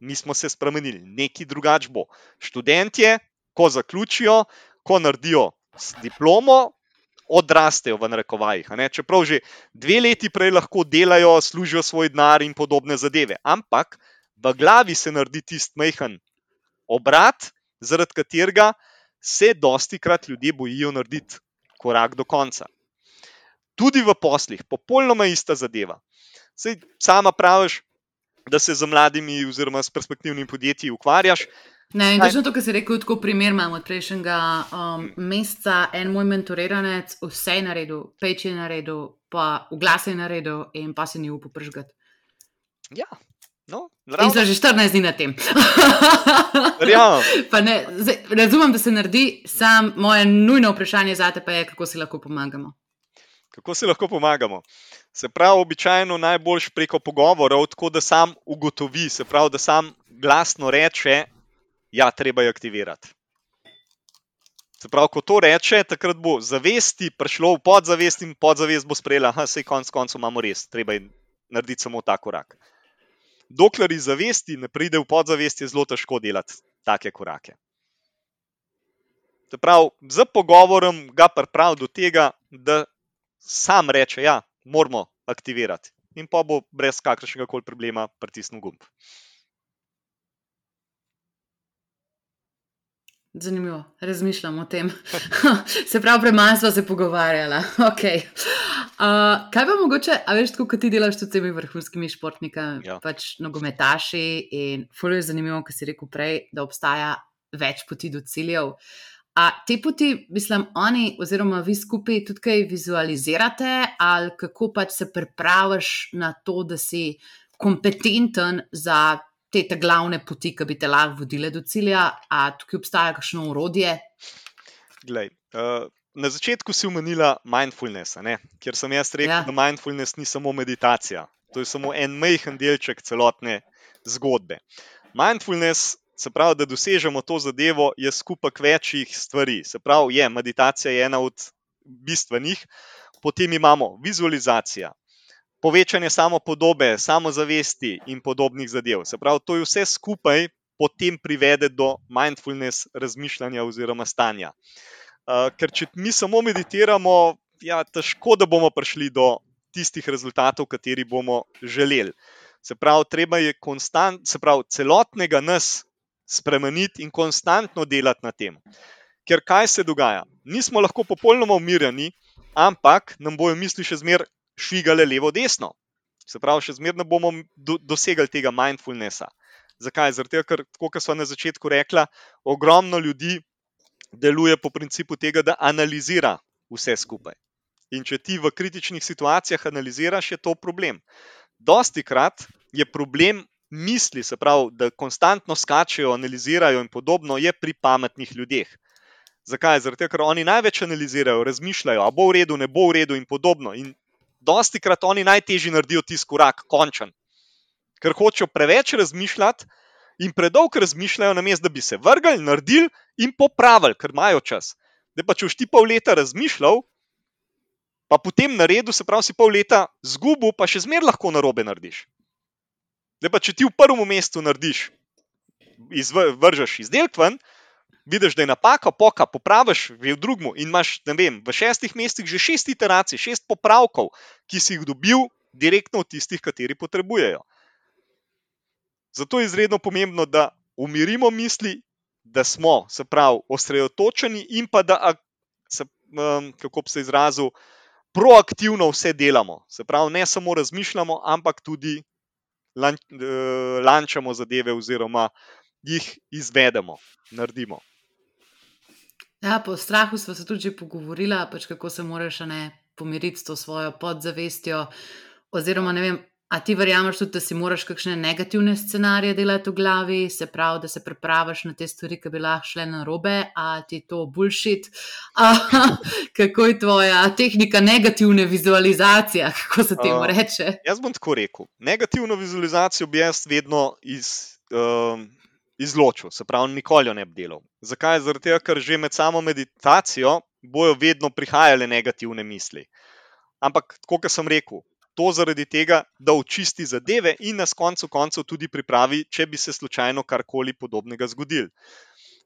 mi smo se spremenili, nekaj drugače bo. Študentje, ko zaključijo, ko naredijo diplomo, odrastejo v narekovajih. A ne? Čeprav že dve leti prej lahko delajo, služijo svoj denar in podobne zadeve. Ampak v glavi se naredi tisti majhen obrat, zaradi katerega se dosti krat ljudje bojijo narediti korak do konca. Tudi v poslih, popolnoma ista zadeva. Saj sama praviš, da se z mladimi oziroma s perspektivnimi podjetji ukvarjaš. Ne, in točno to, kar si rekel, tako primer imam od prejšnjega um, meseca, en moj mentoriranec, vse je naredil, peč je naredil, pa oglas je naredil in pa se ni upal prižgati. Ja, no, in so že štirinajst dni na tem. Ja. Pa ne, zdaj, razumem, da se naredi, sam moje nujno vprašanje zate pa je, kako si lahko pomagamo. Kako si lahko pomagamo? Se pravi, običajno najboljš preko pogovorov, tako da sam ugotovi, se pravi, da sam glasno reče, ja, treba je aktivirati. Se pravi, ko to reče, takrat bo zavesti prišlo v podzavest in podzavest bo sprejela, aha, sej konc koncu imamo res, treba je narediti samo ta korak. Dokler iz zavesti ne pride v podzavest, je zelo težko delati take korake. Se pravi, z pogovorom ga pripravi do tega, da sam reče, ja, moramo aktivirati. In pa bo brez kakršnega koli problema pritisnil gumb. Zanimivo, razmišljam o tem. Se pravi, premalo sva se pogovarjala. Okay. Uh, kaj pa mogoče, a veš, tako kot ti delaš tudi s temi vrhunskimi športniki, Ja. pač nogometaši in ful je zanimivo, kar si rekel prej, da obstaja več poti do ciljev. A te poti, mislim, oni oziroma vi skupaj tudi kaj vizualizirate ali kako pač se pripraviš na to, da si kompetenten za te ta glavne poti, ki bi te lahko vodile do cilja, a tukaj obstaja kakšno orodje? Glej, uh, na začetku si omenila mindfulness, a ne? Kjer sem jaz rekel, Ja. da mindfulness ni samo meditacija. To je samo en majhen delček celotne zgodbe. Mindfulness, se pravi, da dosežemo to zadevo, je skupek večjih stvari. Se pravi, je meditacija je ena od bistvenih, potem imamo vizualizacija, povečanje samopodobe, samozavesti in podobnih zadev. Se pravi, to je vse skupaj potem privede do mindfulness razmišljanja oziroma stanja. Uh, ker če mi samo meditiramo, ja, težko, da bomo prišli do tistih rezultatov, kateri bomo želeli. Se pravi, treba je konstant, se pravi, celotnega nas spremeniti in konstantno delati na tem. Ker kaj se dogaja? Nismo lahko popolnoma umirjeni, ampak nam bojo misli še zmeraj švigale levo, desno. Se pravi, še zmeraj ne bomo do, dosegli tega mindfulnessa. Zakaj? Zato, ker, tako kot sva na začetku rekla, ogromno ljudi deluje po principu tega, da analizira vse skupaj. In če ti v kritičnih situacijah analiziraš, je to problem. Dostikrat je problem misli, se pravi, da konstantno skačejo, analizirajo in podobno, je pri pametnih ljudeh. Zakaj? Zato, ker oni največ analizirajo, razmišljajo, a bo v redu, ne bo v redu in podobno. In dostikrat oni najtežji naredijo tisti korak, končen. Ker hočejo preveč razmišljati in predolgo razmišljajo, namesto da bi se vrgli, naredili in popravili, ker imajo čas. Da pa če boš ti pol leta razmišljal, pa potem naredil, se pravi, si pol leta zgubil, pa še zmeraj lahko narobe narediš. Da pa če ti v prvem mestu narediš, vržeš izdelek ven, vidiš, da je napaka, poka, popraviš v drugmu in imaš, ne vem, v šestih mestih že šest iteracij, šest popravkov, ki si jih dobil direktno od tistih, kateri potrebujejo. Zato je izredno pomembno, da umirimo misli, da smo, se pravi, osredotočeni in pa da, se, kako bi se izrazil, proaktivno vse delamo. Se pravi, ne samo razmišljamo, ampak tudi lan, lančamo zadeve oziroma jih izvedemo, naredimo. Ja, po strahu smo se tudi že pogovorila, pač kako se moraš ne pomiriti s to svojo podzavestjo, oziroma ne vem, a ti verjameš tudi, da si moraš kakšne negativne scenarije delati v glavi, se pravi, da se pripraviš na te stvari, ki bi lahko šle narobe, a ti to bullshit? A, kako je tvoja tehnika negativne vizualizacije, kako se temu Uh, reče? Jaz bom tako rekel. Negativno vizualizacijo bi jaz vedno iz, um, izločil, se pravi, nikoli jo ne bi delal. Zakaj? Zaradi tega, ker že med samo meditacijo bojo vedno prihajale negativne misli. Ampak, tako kot sem rekel, to zaradi tega, da očisti zadeve in nas koncu koncev tudi pripravi, če bi se slučajno karkoli podobnega zgodilo.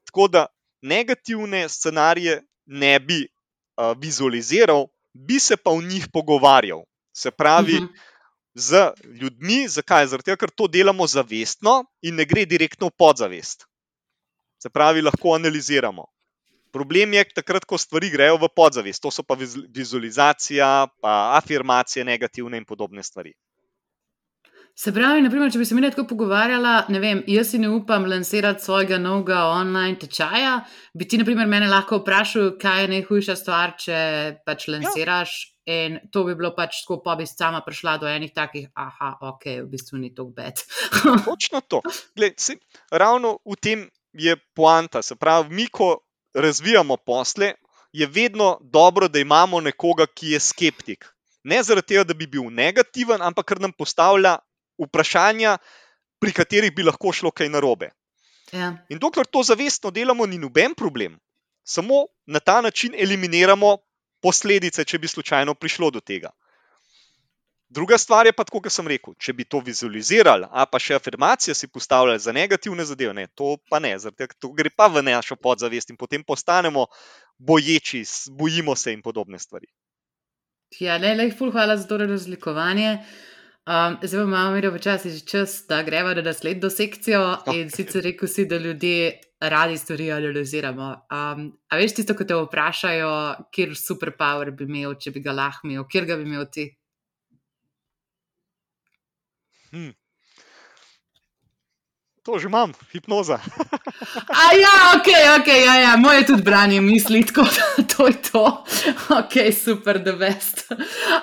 Tako da negativne scenarije ne bi uh, vizualiziral, bi se pa v njih pogovarjal. Se pravi, Mhm. z ljudmi, zakaj? Zato, ker to delamo zavestno in ne gre direktno v podzavest. Se pravi, lahko analiziramo. Problem je takrat, ko stvari grejo v podzavest. To so pa vizualizacija, pa afirmacije negativne in podobne stvari. Se pravi, naprimer, če bi se mi tako pogovarjala, ne vem, jaz si ne upam lansirati svojega novega online tečaja, bi ti, naprimer, mene lahko vprašal, kaj je najhujša stvar, če pač lansiraš, ja. In to bi bilo pač tako, pa bi sama prišla do enih takih, aha, ok, v bistvu ni to bed. Točno to. Glej, se, ravno v tem je poanta. Se pravi, mi, ko razvijamo posle, je vedno dobro, da imamo nekoga, ki je skeptik. Ne zaradi tega, da bi bil negativen, ampak ker nam postavlja vprašanja, pri katerih bi lahko šlo kaj narobe. Ja. In dokler to zavestno delamo, ni noben problem. Samo na ta način eliminiramo posledice, če bi slučajno prišlo do tega. Druga stvar je pa tako, kot sem rekel, če bi to vizualizirali, a pa še afirmacije si postavljali za negativne zadeve, ne, to pa ne, zaradi tega, to gre pa v našo podzavest in potem postanemo boječi, bojimo se in podobne stvari. Ja, ne, lej, ful, hvala za to razlikovanje. Um, zdaj imamo mi počasi že čas, da greva na naslednjo sekcijo. In sicer rekel si, da ljudje radi stvari analiziramo. Um, a veš tisto, ko te vprašajo, kjer superpower bi imel, če bi ga lahko imel, kjer ga bi imel ti? Hm. To že imam, hipnoza. A ja, ok, ok, ja, ja. Moje tudi branje misli, tako da to je to. Ok, super, the best.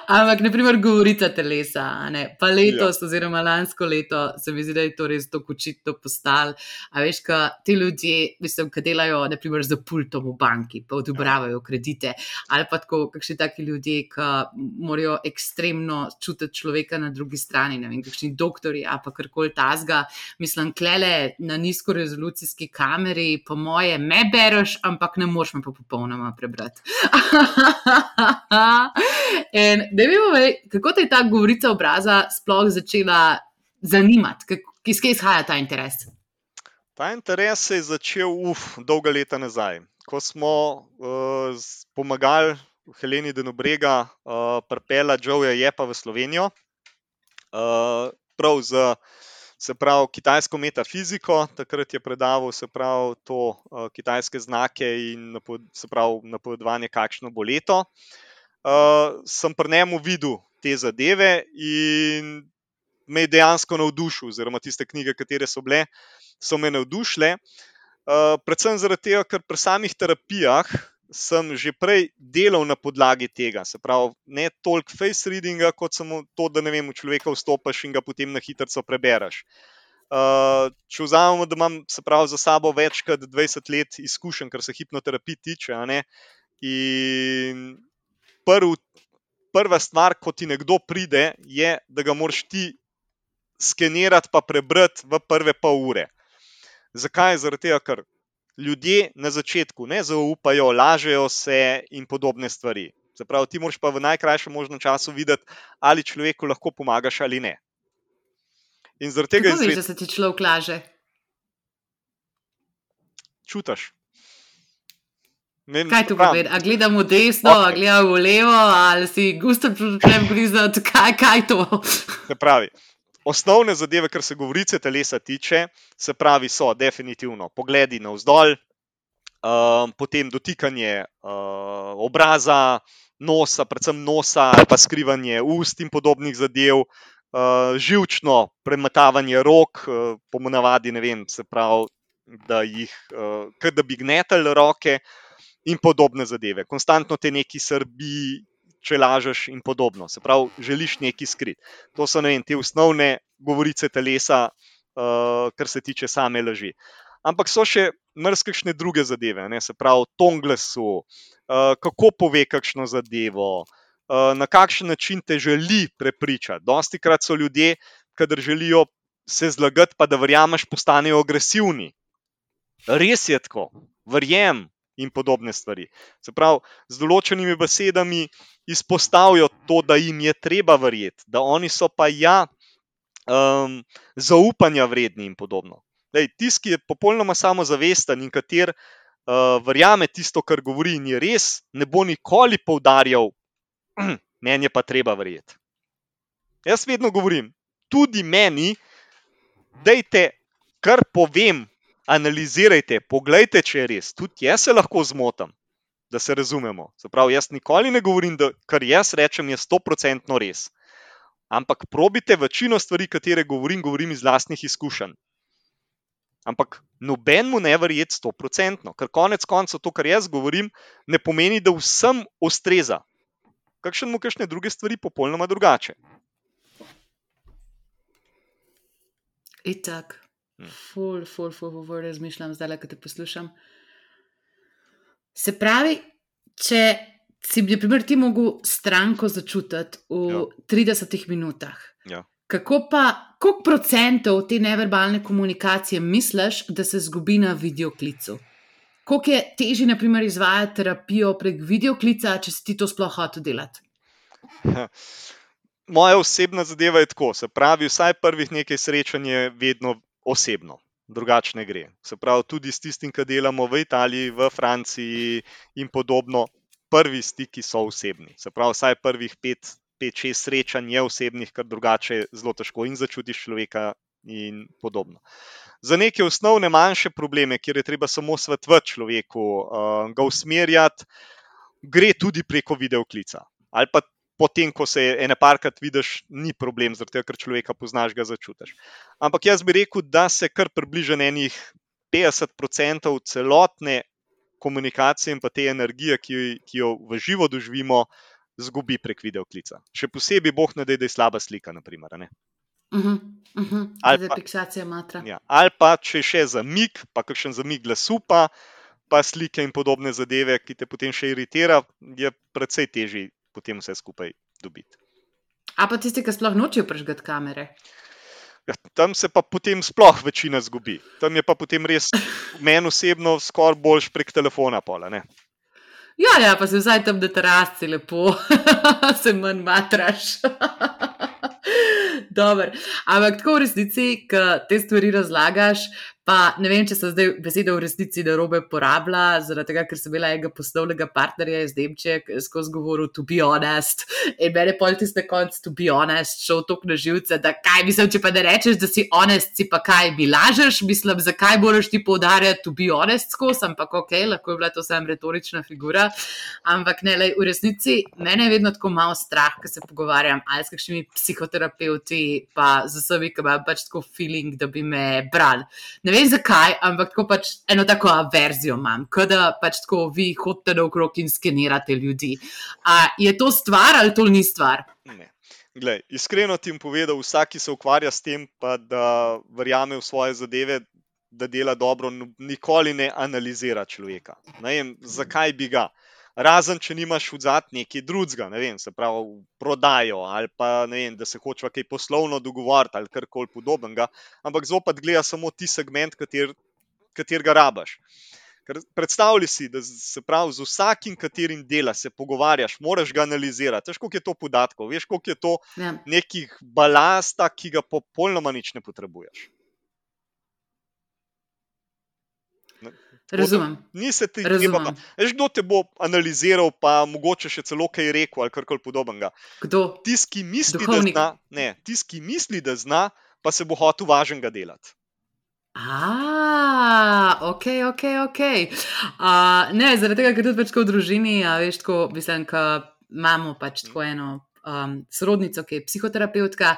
Ampak, naprimer, govorica telesa, a ne? Pa letos, Ja. oziroma lansko leto, se mi zdi, da je to res tako očitno postalo. A veš, ka ti ljudje, mislim, ki delajo, naprimer, za pultom v banki, pa odobravajo kredite, ali pa tako kakšni taki ljudje, ki morajo ekstremno čutiti človeka na drugi strani, ne vem, kakšni doktorji, a pa karkoli tazga. Mislim, klele na nizkorezolucijski kameri, po moje, me bereš, ampak ne moreš me pa popolnoma prebrati. In da mi povej, kako te je ta govorica obraza sploh začela zanimati? Kak- Iz kje izhaja ta interes? Ta interes se je začel uf, dolga leta nazaj, ko smo uh, z- pomagali Heleni Denobrega uh, pripeljati Joeja Jepa v Slovenijo. Uh, prav za se pravi kitajsko metafiziko, takrat je predaval se pravi to uh, kitajske znake in napo, se pravi napovedovanje, kakšno bo leto. Uh, sem pri njemu videl te zadeve in me je dejansko navdušil, oziroma tiste knjige, katere so bile, so me navdušile. Uh, predvsem zaradi tega, ker pri samih terapijah sem že prej delal na podlagi tega. Se pravi, ne toliko face readinga, kot samo to, da ne vem, v človeka vstopiš in ga potem na hitro prebereš. Uh, če vzamemo, da imam se pravi za sabo več kot dvajset let izkušenj, kar se hipnoterapij tiče, a ne, in prv, prva stvar, ko ti nekdo pride, je, da ga moraš ti skenirati pa prebrati v prve pol ure. Zakaj? Zaradi tega, ker ljudje na začetku ne zaupajo, lažejo se in podobne stvari. Se pravi, ti moraš pa v najkrajšem možnem času videti, ali človeku lahko pomagaš ali ne. In zaradi tega Kako veš, izred... da se ti človek laže? čutiš. Ne vem, Kaj saj to pravim, pomeni? A gledam v desno, a okej. gledam v levo, ali si gusto pričnem grizati? Kaj, kaj to? Se pravi, osnovne zadeve, kar se govorice telesa tiče, se pravi, so definitivno pogledi navzdol, um, potem dotikanje uh, obraza, nosa, predvsem nosa, ali pa skrivanje ust in podobnih zadev, uh, živčno premetavanje rok, uh, po navadi, ne vem, se pravi, da jih, uh, kot da bi gnetali roke in podobne zadeve. Konstantno te neki srbi, če lažeš in podobno. Se pravi, želiš nekaj skriti. To so, ne vem, te osnovne govorice telesa, uh, kar se tiče same laži. Ampak so še marsikšne druge zadeve, ne? Se pravi, ton glasu, uh, kako pove kakšno zadevo, uh, na kakšen način te želi prepričati. Dostikrat so ljudje, kadar želijo se zlagati, pa da verjameš, postanejo agresivni. Res je tako, verjem in podobne stvari. Se pravi, z določenimi besedami izpostavijo to, da jim je treba verjeti, da oni so pa ja um, zaupanja vredni in podobno. Tisti, ki je popolnoma samozavesten in kater uh, verjame tisto, kar govori in je res, ne bo nikoli poudarjal, meni je pa treba verjeti. Jaz vedno govorim, tudi meni, dejte, kar povem, analizirajte, poglejte, če je res. Tudi jaz se lahko zmotam, da se razumemo. Se pravi, jaz nikoli ne govorim, da kar jaz rečem, je sto procentno res. Ampak probite večino stvari, katere govorim, govorim iz lastnih izkušenj. Ampak noben mu ne verjeti sto procentno, ker konec koncev to, kar jaz govorim, ne pomeni, da vsem ustreza. Kakšen mu kakšne druge stvari popolnoma drugače. Itak. Ful, ful, ful, ful, ful, razmišljam zdaj, ko te poslušam. Se pravi, če si bi, na primer, ti mogel stranko začutiti v Ja. tridesetih minutah, Ja. kako pa, koliko procentov te neverbalne komunikacije misliš, da se zgubi na videoklicu? Koliko je težje, na primer, izvajati terapijo prek videoklica, če si ti to sploh hotel delati? Moja osebna zadeva je tako, se pravi, vsaj prvih nekaj srečanj je vedno osebno, drugače ne gre. Se pravi, tudi s tistim, ki delamo v Italiji, v Franciji in podobno, prvi stiki so osebni. Se pravi, vsaj prvih pet, pet, šest srečanj je osebnih, ker drugače je zelo težko in začutiš človeka in podobno. Za neke osnovne manjše probleme, kjer je treba samo svetovati človeku, uh, ga usmerjati, gre tudi preko videoklica. Ali pa potem, ko se ene parkrat vidiš, ni problem, zato ker človeka poznaš, ga začutiš. Ampak jaz bi rekel, da se kar približa enih petdeset procentov celotne komunikacije in pa te energije, ki, ki jo v živo doživimo, zgubi prek videoklica. Še posebej boh ne dej, da je slaba slika, naprimer. Ne? Uh-huh, uh-huh. Ali, pa, ja, ali pa če še zamik, pa kakšen zamik glasu, pa, pa slike in podobne zadeve, ki te potem še iritira, je precej težji potem vse skupaj dobiti. A pa tisti, ki sploh nočejo prižgati kamere? Ja, tam se pa potem sploh večina zgubi. Tam je pa potem res meni osebno skoraj boljš prek telefona pola, ne? Ja, ja, pa se vsaj tam na terasci lepo se manj matraš. Dobar. Ampak tako v resnici, ko te stvari razlagaš, pa ne vem, če so zdaj besede v resnici narobe porabila, zaradi tega, ker sem imela enega poslovnega partnerja iz Nemčije, skozi govoril to be honest, in mene pol tiste konc to be honest šel toliko na živce, da kaj, mislim, če pa ne rečeš, da si honest, si pa kaj, mi lažeš, mislim, zakaj moraš ti poudarjati to be honest skozi, ampak ok, lahko je bila to samo retorična figura, ampak ne, lej, v resnici mene je vedno tako malo strah, ko se pogovarjam ali s kakšnimi psihoterapeuti, pa z vsemi, ki imam pač tako feeling, da bi me brali. Ne vem zakaj, ampak tako pač eno tako averzijo imam, kada pač tako vi hodite naokrog in skenirate ljudi. A je to stvar ali to ni stvar? Ne. Glej, iskreno ti bom povedal, vsak, ki se ukvarja s tem, pa da verjame v svoje zadeve, da dela dobro, nikoli ne analizira človeka. Ne vem, zakaj bi ga. Razen, če nimaš vzad nekaj drugega, ne vem, se pravi prodajo ali pa ne vem, da se hočeva kaj poslovno dogovoriti ali karkoli podobnega, ampak zopet gleda samo ti segment, kater, katerega rabaš. Ker predstavljaj si, da se pravi z vsakim, katerim dela se pogovarjaš, moraš ga analizirati. Veš, koliko je to podatkov, veš, koliko je to ja. Nekih balasta, ki ga popolnoma nič ne potrebuješ. Razumem. Ni se ti treba. Veš, kdo te bo analiziral, pa mogoče še celo kaj rekel ali karkoli podobnega. Kdo? Tis, ki misli, da zna, ne, tis, ki misli, da zna, pa se bo hotel važnega delati. A, ok, ok, ok. Uh, ne, zaradi tega, ker tudi pač v družini, a veš, tako, mislim, ka imamo pač tako eno um, sorodnico, ki je psihoterapeutka,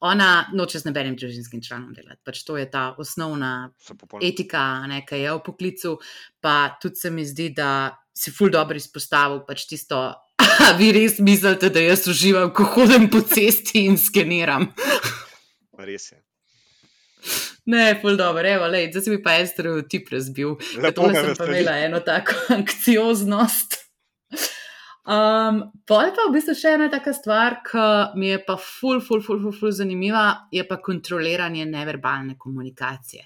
ona noče z nobenim družinskim članom delati. Pač to je ta osnovna etika, ne, ki je v poklicu, pa tudi se mi zdi, da si ful dobro izpostavil pač tisto, vi res mislite, da jaz uživam, ko hodim po cesti in skeniram. Res je. Ne, ful dobro, evo, lej, zdaj si mi pa en stereotip razbil, da tole sem pa imela eno tako anksioznost. Um, pol pa v bistvu še ena taka stvar, ki mi je pa ful, ful, ful, ful, ful zanimiva, je pa kontroliranje neverbalne komunikacije.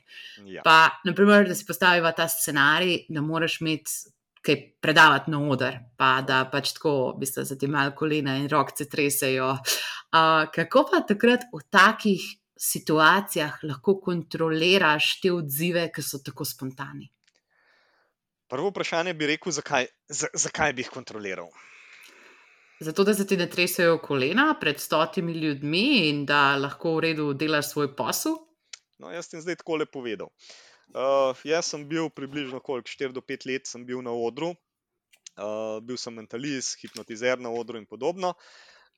Ja. Pa, naprimer, da si postaviva ta scenarij, da moraš imeti kaj predavati na oder, pa da pač tako, v bistvu, za ti malo kolena in rokce tresejo. Uh, kako pa takrat v takih situacijah lahko kontroliraš te odzive, ki so tako spontani? Prvo vprašanje bi rekel, zakaj, z, zakaj bi jih kontroliral? Zato, da se ti ne tresejo kolena pred stotimi ljudmi in da lahko v redu delaš svoj posel? No, jaz sem zdaj takole povedal. Uh, jaz sem bil približno koliko, štiri do pet let sem bil na odru, uh, bil sem mentalist, hipnotizer na odru in podobno.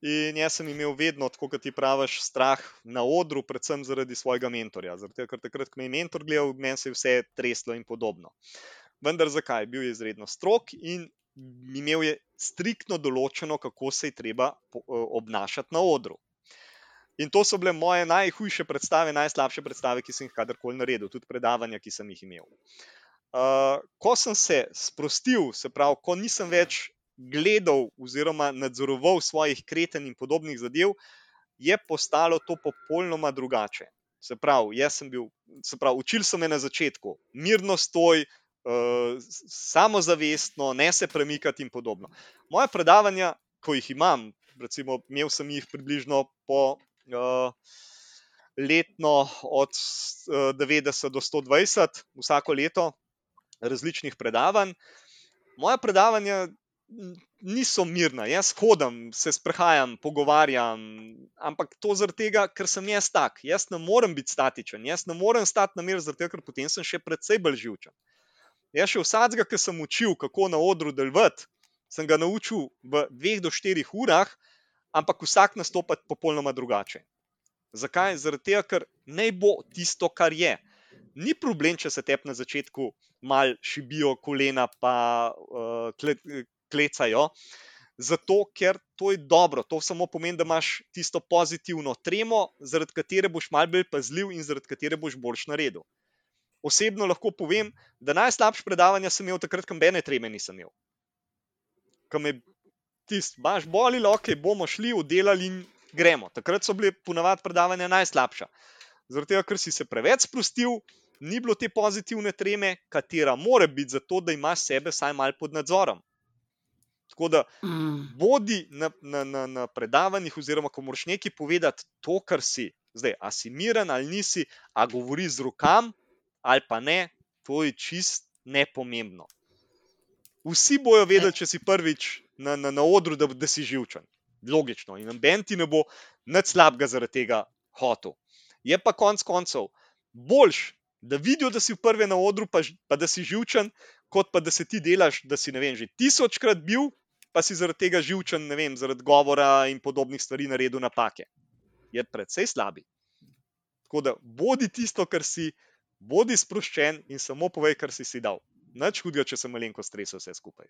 In jaz sem imel vedno, tako kot ti praviš, strah na odru, predvsem zaradi svojega mentorja. Zaradi, ker takrat, ko me je mentor gledal, meni se je vse treslo in podobno. Vendar zakaj? Bil je izredno strog in imel je striktno določeno, kako se je treba obnašati na odru. In to so bile moje najhujše predstave, najslabše predstave, ki sem jih kadarkoli naredil, tudi predavanja, ki sem jih imel. Uh, ko sem se sprostil, se pravi, ko nisem več gledal oziroma nadzoroval svojih kretenj in podobnih zadev, je postalo to popolnoma drugače. Se pravi, jaz sem bil, se pravi, učili so me na začetku, mirno stoj, Uh, samozavestno, ne se premikati in podobno. Moje predavanja, ko jih imam, recimo, imel sem jih približno po uh, letno od uh, devetdeset do sto dvajset, vsako leto različnih predavanj. Moje predavanja niso mirna. Jaz hodim, se sprehajam, pogovarjam, ampak to zaradi tega, ker sem jaz tak. Jaz ne morem biti statičen, jaz ne morem stati na miru, zaradi tega, ker potem sem še precej bolj živčen. Jaz še vsakega, ki sem učil, kako na odru delovati, sem ga naučil v dveh do štirih urah, ampak vsak nastopa popolnoma drugače. Zakaj? Zaradi tega, ker naj bo tisto, kar je. Ni problem, če se tebi na začetku mal šibijo kolena pa uh, kle, klecajo, zato ker to je dobro. To samo pomeni, da imaš tisto pozitivno tremo, zaradi katere boš mal bolj pazljiv in zaradi katere boš boljš naredil. Osebno lahko povem, da najslabše predavanja sem imel takrat, ko nobene treme nisem imel. Ko me tisti, baš boli, ok, bomo šli, oddelali in gremo. Takrat so bile ponavadi predavanja najslabša. Zaradi tega, ker si se preveč sprostil, ni bilo te pozitivne treme, katera mora biti zato, da imaš sebe vsaj malo pod nadzorom. Tako da bodi na, na, na, na predavanjih oziroma ko moraš nekaj povedati to, kar si. Zdaj, a si miren ali nisi, a govori z rokam ali pa ne, to je čist nepomembno. Vsi bojo vedeli, če si prvič na, na, na odru, da, da si živčen. Logično. In noben ti ne bo nič slabega zaradi tega hotel. Je pa konc koncev boljš, da vidijo, da si v prvi na odru, pa, pa da si živčen, kot pa da se ti delaš, da si, ne vem, že tisočkrat bil, pa si zaradi tega živčen, ne vem, zaradi govora in podobnih stvari naredil napake. Je precej slabi. Tako da bodi tisto, kar si, bodi sproščen in samo povej, kar si si dal. Nič hudega, če se malenko stresel vse skupaj.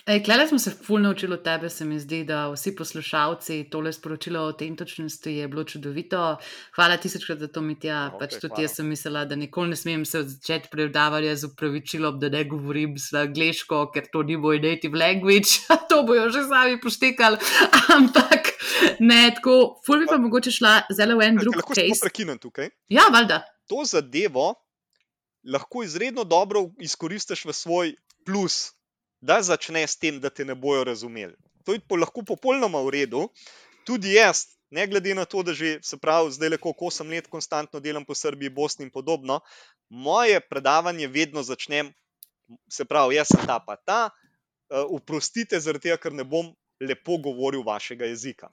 Ej, klele smo se ful naučili od tebe, se mi zdi, da vsi poslušalci, tole sporočilo o autentičnosti je bilo čudovito. Hvala tisočkrat za to, Mitja. Okay, pač tudi hvala. Jaz sem mislila, da nikoli ne smem se začeti predavanja z upravičilom, da ne govorim angleško, ker to ni moj native language. To bojo že sami poštekali. Ampak ne, tako, ful bi pa mogoče šla zelo v en drug Lahko case. samo prekinem tukaj. Ja, valjda. To zadevo lahko izredno dobro izkoristiš v svoj plus, da začne s tem, da te ne bojo razumeli. To je lahko popolnoma v redu. Tudi jaz, ne glede na to, da že se pravi, zdaj le koliko osem let konstantno delam po Srbiji, Bosni in podobno, moje predavanje vedno začnem, se pravi, jaz sem ta pa ta, oprostite zaradi tega, ker ne bom lepo govoril vašega jezika.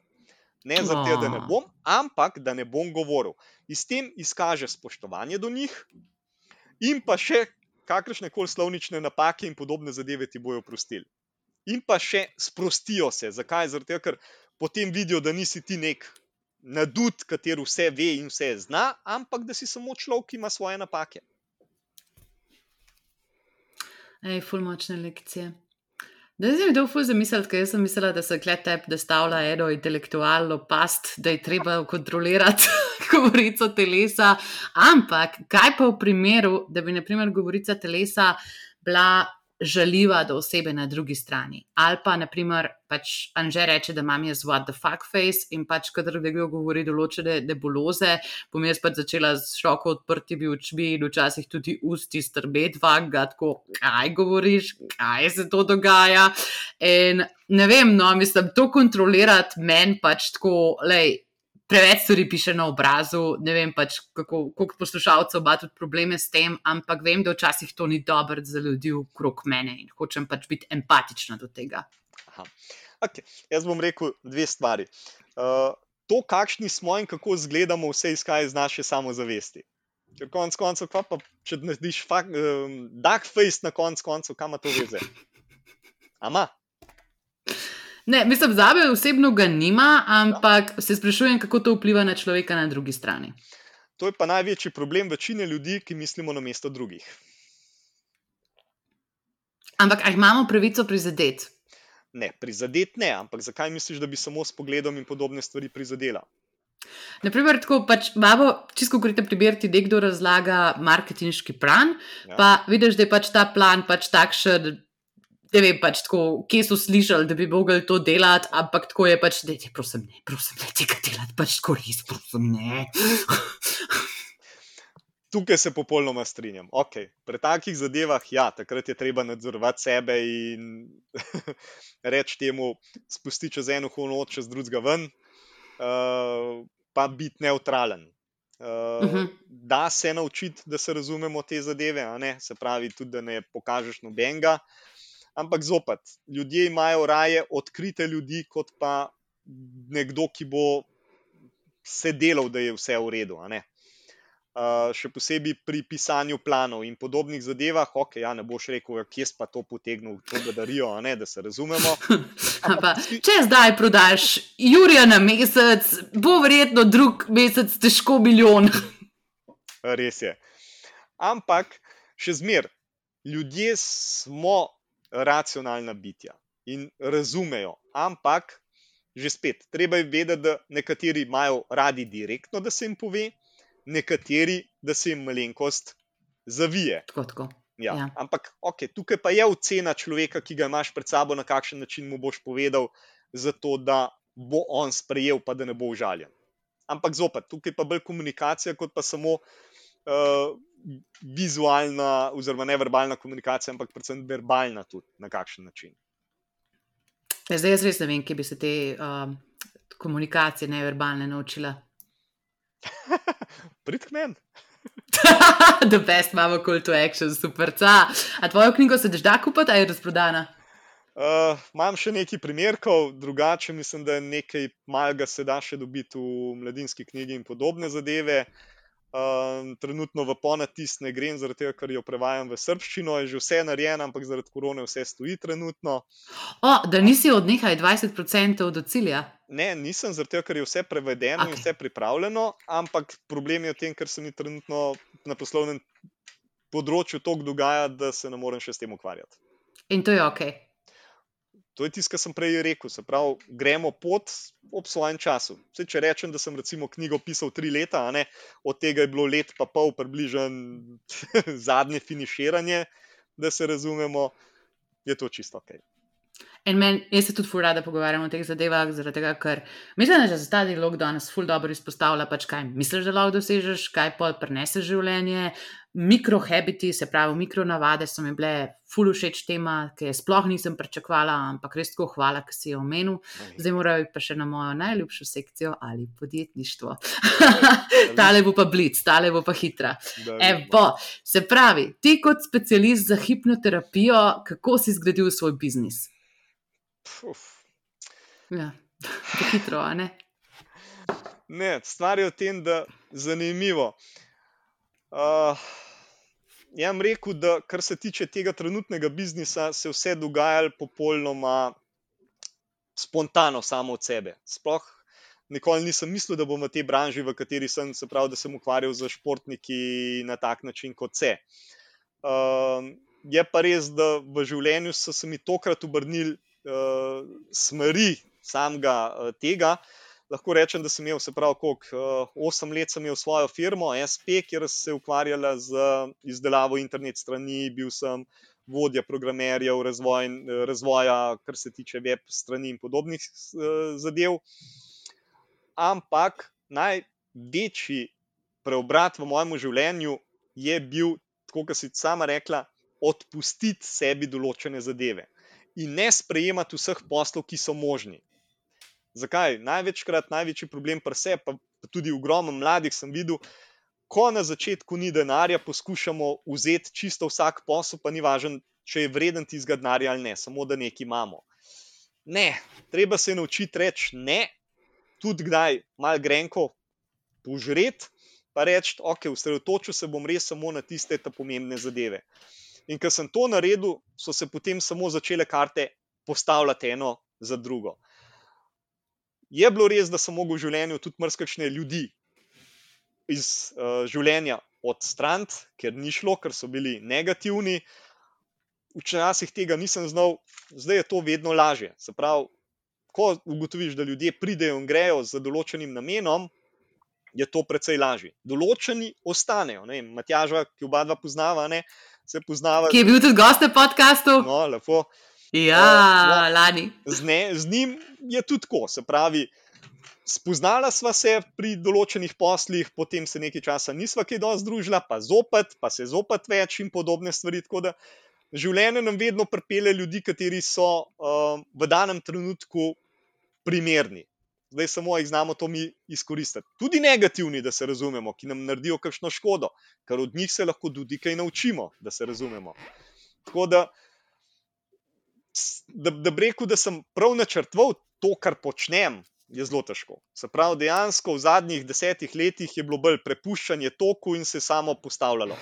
Ne zaradi tega, da ne bom, ampak da ne bom govoril. In s tem izkaže spoštovanje do njih in pa še kakršne koli slovnične napake in podobne zadeve ti bojo oprostili. In pa še sprostijo se. Zakaj? Zaradi tega, ker potem vidijo, da nisi ti nek nadut, kateri vse ve in vse zna, ampak da si samo človek, ki ima svoje napake. Ej, ful močne lekcije. Da si mi to ful zamisliti, ker jaz sem mislila, da se klet tep, da stavlja eno intelektualno past, da je treba kontrolirati govorico telesa, ampak kaj pa v primeru, da bi na primer govorica telesa bila žaljiva do osebe na drugi strani, ali pa na primer pač Anže reče, da imam jaz what the fuck face in pač kadar nekdo govori določene nebuloze, bom jaz pač začela s široko odprtimi očmi in včasih tudi usti strmet vanga, tako kaj govoriš, kaj se to dogaja in ne vem, no, mislim, to kontrolirati meni pač tako, lej, preveč stvari piše na obrazu, ne vem pač, kako, koliko poslušalcev ima tudi probleme s tem, ampak vem, da včasih to ni dobro za ljudi okrog mene in hočem pač biti empatična do tega. Aha. Okay. Jaz bom rekel dve stvari. Uh, to, kakšni smo in kako izgledamo, vse izhaja iz naše samozavesti. Ker konc koncev, pa pa, če narediš fakt, um, dark face na konc koncev, kam ima to veze? Ama? Ne, mislim, zame osebno ga nima, ampak ja. Se sprašujem, kako to vpliva na človeka na drugi strani. To je pa največji problem večine ljudi, ki mislimo namesto drugih. Ampak, a imamo pravico prizadeti? Ne, prizadeti ne, ampak zakaj misliš, da bi samo s pogledom in podobne stvari prizadela? Naprimer, tako pač imamo, čisto konkreten primer, ti nekdo razlaga marketinški plan, ja. Pa vidiš, da je pač ta plan pač takšen, ne vem, pač tako, kje so slišali, da bi mogli to delati, ampak tako je pač, da je, prosim, ne, prosim, ne tega delati, pač tako res, prosim, ne. Tukaj se popolnoma strinjam. Ok, pri takih zadevah, ja, takrat je treba nadzorovati sebe in reči temu, spusti čez eno uho not, čez drugega ven, uh, pa biti neutralen. Uh, uh-huh. Da se naučiti, da se razumemo te zadeve, a ne? Se pravi tudi, da ne pokažeš nobenega, Ampak zopet, ljudje imajo raje odkrite ljudi, kot pa nekdo, ki bo se delal, da je vse v redu. A ne? Uh, še posebej pri pisanju planov in podobnih zadevah, ok, ja, ne boš rekel, kje si pa to potegnil, to bedarijo, a ne, da se razumemo. Pa, če zdaj prodaš jurja na mesec, bo verjetno drug mesec težko milijon. Res je. Ampak še zmer, ljudje smo racionalna bitja in razumejo, ampak že spet, treba je vedeti, da nekateri imajo radi direktno, da se jim pove, nekateri, da se jim malenkost zavije. Tako, tako. Ja. Ja. Ampak okay, tukaj pa je ocena človeka, ki ga imaš pred sabo, na kakšen način mu boš povedal, zato da bo on sprejel, pa da ne bo užaljen. Ampak zopet, tukaj pa bolj komunikacija, kot pa samo uh, vizualna oziroma neverbalna komunikacija, ampak predvsem verbalna tudi, na kakšen način. Zdaj jaz res ne vem, kje bi se te uh, komunikacije neverbalne naučila. Prid k meni. The best mama call to action, super. A tvojo knjigo se daš da kupiti, a je razprodana? Uh, imam še nekaj primerkov, drugače mislim, da nekaj malega se da še dobiti v Mladinski knjigi in podobne zadeve. Uh, trenutno v ponatis ne grem, zaradi tega, ker jo prevajam v srbščino, je že vse narejeno, ampak zaradi korone vse stoji trenutno. O, da nisi od nekaj dvajset procentov do cilja? Ne, nisem, zaradi tega, ker je vse prevedeno okay. in vse pripravljeno, ampak problem je v tem, ker se mi trenutno na poslovnem področju toliko dogaja, da se ne morem še s tem ukvarjati. In to je ok. To je tisto, kar sem prej rekel, se pravi, gremo pot ob svojem času. Vse, če rečem, da sem recimo knjigo pisal tri leta, a ne, od tega je bilo let pa pol približen zadnje finiširanje, da se razumemo, je to čisto ok. In men, jaz se tudi ful rada pogovarjam o teh zadevah, zaradi tega, ker mislim, da že za ta dialog danes ful dobro izpostavlja, pač kaj misliš, da lahko dosežeš, kaj pol prinese življenje, mikrohabiti, se pravi mikronavade so mi bile ful všeč tema, ki je sploh nisem pričakovala, ampak res tako hvala, ki si jo omenil. Zdaj morajo pa še na mojo najljubšo sekcijo ali podjetništvo. Tale bo pa blic, tale bo pa hitra. Evo, se pravi, ti kot specialist za hipnoterapijo, kako si zgradil svoj biznis? Uf. Ja, to hitro, a ne? Ne, stvar je v tem, da zanimivo. Uh, jaz bom rekel, da kar se tiče tega trenutnega biznisa, se vse dogajalo popolnoma spontano samo od sebe. Sploh nikoli nisem mislil, da bom v tej branži, v kateri sem, se pravi, da sem ukvarjal z športniki na tak način kot se. Uh, je pa res, da v življenju so se mi tokrat obrnili uh, smeri samega uh, tega. Lahko rečem, da sem imel, se pravi, koliko, osem let sem imel svojo firmo, S P, kjer se ukvarjala z izdelavo internet strani, bil sem vodja programerjev, razvoj, razvoja, kar se tiče web strani in podobnih zadev. Ampak največji preobrat v mojem življenju je bil, tako kot si sama rekla, odpustiti sebi določene zadeve in ne sprejemati vseh poslov, ki so možni. Zakaj? Največkrat, največji problem pri sebi, pa tudi ogromno mladih sem videl, ko na začetku ni denarja, poskušamo vzeti čisto vsak posel, pa ni važno, če je vreden tistega denarja ali ne, samo da nekaj imamo. Ne, treba se naučiti reči ne, tudi kdaj malo grenko požreti, pa reči, ok, osredotočil se bom res samo na tiste ta pomembne zadeve. In ko sem to naredil, so se potem samo začele karte postavljati eno za drugo. Je bilo res, da sem mogel v življenju tudi marsikakšne ljudi iz uh, življenja odstraniti, ker ni šlo, ker so bili negativni. Včasih tega nisem znal, zdaj je to vedno lažje. Se pravi, ko ugotoviš, da ljudje pridejo in grejo z določenim namenom, je to precej lažje. Določeni ostanejo. Ne? Matjaža, ki oba dva poznava, ne? Se poznava. Ki je bil tudi gost na podcastu. No, lepo. Ja, uh, no, lani. Z, ne, z njim je tudi tako, se pravi, spoznala sva se pri določenih poslih, potem se nekaj časa nisva kaj dosti združila, pa zopet, pa se zopet več in podobne stvari, tako da življenje nam vedno pripelje ljudi, kateri so uh, v danem trenutku primerni. Zdaj samo jih znamo to mi izkoristiti. Tudi negativni, da se razumemo, ki nam naredijo kakšno škodo, ker od njih se lahko tudi kaj naučimo, da se razumemo. Tako da da, da bi rekel, da sem prav načrtoval to, kar počnem, je zelo težko. Se pravi, dejansko v zadnjih desetih letih je bilo bolj prepuščanje toku in se samo postavljalo.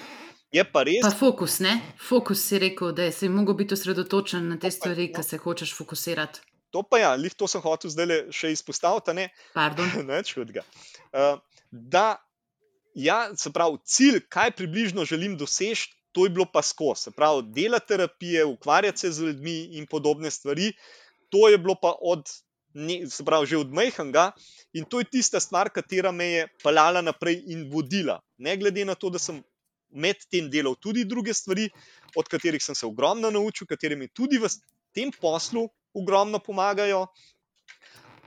Je pa res. Pa fokus, ne? Fokus si rekel, da si mogel biti osredotočen na te stvari, no. ki se hočeš fokusirati. To pa ja, lih to sem hotel zdaj še izpostaviti, ne? Pardon. Nič hudega. Uh, da, ja, se pravi, cilj, kaj približno želim doseči, to je bilo pa skozi. Se pravi, dela terapije, ukvarjati se z ljudmi in podobne stvari, to je bilo pa od, ne, se pravi, že od majhnega in to je tista stvar, katera me je peljala naprej in vodila. Ne glede na to, da sem med tem delal tudi druge stvari, od katerih sem se ogromno naučil, katere mi tudi v tem poslu ogromno pomagajo,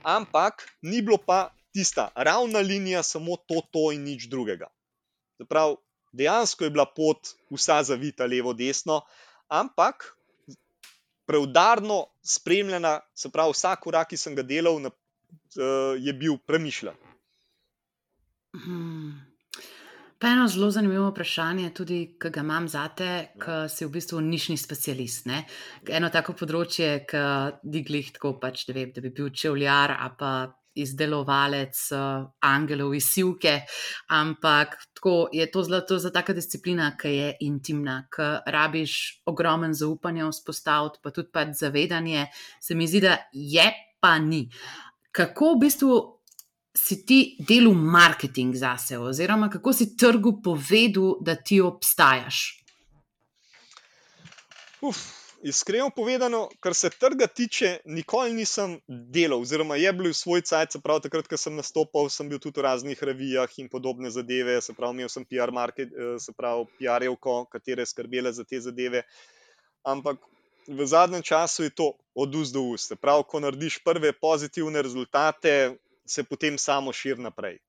ampak ni bilo pa tista ravna linija, samo to, to in nič drugega. Zaprav, dejansko je bila pot vsa zavita levo, desno, ampak preudarno spremljena, se pravi, vsak korak, ki sem ga delal, je bil premišljen. Hmm. Pa eno zelo zanimivo vprašanje, tudi, ki ga imam zate, ki si v bistvu nišni specialist. Ne? Eno tako področje, ki diglih tako pač, da, vem, da bi bil čevljar ali pa izdelovalec uh, angelov iz sivke, ampak tako je to zlato za taka disciplina, ki je intimna, ki rabiš ogromen zaupanje vzpostaviti, pa tudi pač zavedanje, se mi zdi, da je pa ni. Kako v bistvu si ti delal marketing zase, oziroma kako si trgu povedal, da ti obstajaš? Uf, iskreno povedano, kar se trga tiče, nikoli nisem delal, oziroma je bil svoj cajt, se pravi, takrat, ko sem nastopal, sem bil tudi v raznih revijah in podobne zadeve, se pravi, imel sem P R market, se pravi, P R-evko, katere skrbele za te zadeve, ampak v zadnjem času je to od ust do ust. Se pravi, ko narediš prve pozitivne rezultate, se potem samo širi naprej.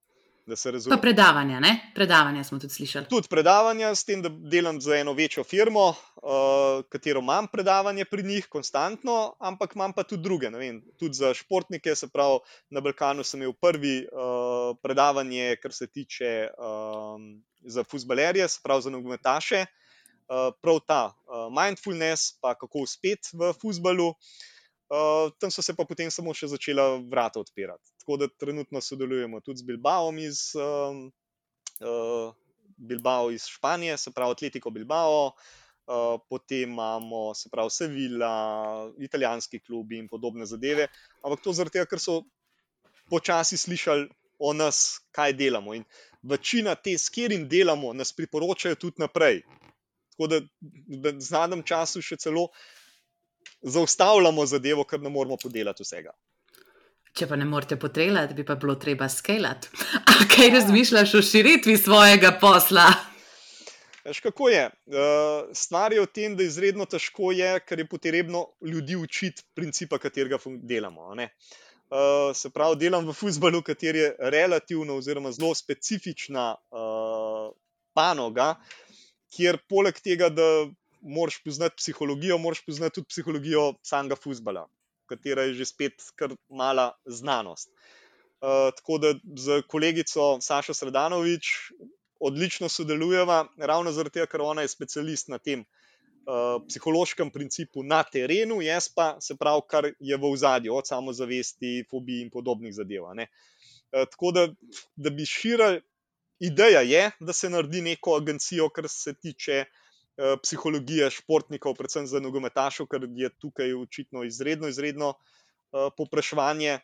Pa predavanja, ne? Predavanja smo tudi slišali. Tudi predavanja, s tem, da delam za eno večjo firmo, uh, katero imam predavanje pri njih konstantno, ampak imam pa tudi druge, ne vem, tudi za športnike, se pravi, na Balkanu sem imel prvi uh, predavanje, kar se tiče um, za fuzbalerje, se pravi za nogometaše, uh, prav ta uh, mindfulness, pa kako uspeti v fuzbalu. Uh, tam so se pa potem samo še začela vrata odpirati. Tako da trenutno sodelujemo tudi z Bilbaom iz, um, uh, Bilbao iz Španije, se pravi Atletico Bilbao, uh, potem imamo, se pravi Sevilla, italijanski klubi in podobne zadeve, ampak to zaradi tega, ker so počasi slišali o nas, kaj delamo, in večina te, s katerim delamo, nas priporočajo tudi naprej. Tako da v zadnjem času še celo zaustavljamo zadevo, ker ne moramo podelati vsega. Če pa ne morete podelati, bi pa bilo treba skelati. A kaj razmišljaš o širitvi svojega posla? Veš, kako je? Stvar je v tem, da izredno težko je, ker je potrebno ljudi učiti principa, katerega delamo. Ne? Se pravi, delam v fuzbalu, kater je relativno oziroma zelo specifična panoga, kjer poleg tega, da moraš poznati psihologijo, moraš poznati tudi psihologijo samega fuzbala, katera je že spet kar mala znanost. Uh, tako da z kolegico Sašo Sredanovič odlično sodelujeva, ravno zaradi tega, ker ona je specialist na tem uh, psihološkem principu na terenu, jaz pa, se pravi, kar je v ozadju, od samozavesti, fobij in podobnih zadev. Ne? Uh, tako da, da bi širili, ideja je, da se naredi neko agencijo, kar se tiče psihologije športnikov, predvsem za nogometašov, ker je tukaj očitno izredno, izredno uh, popraševanje,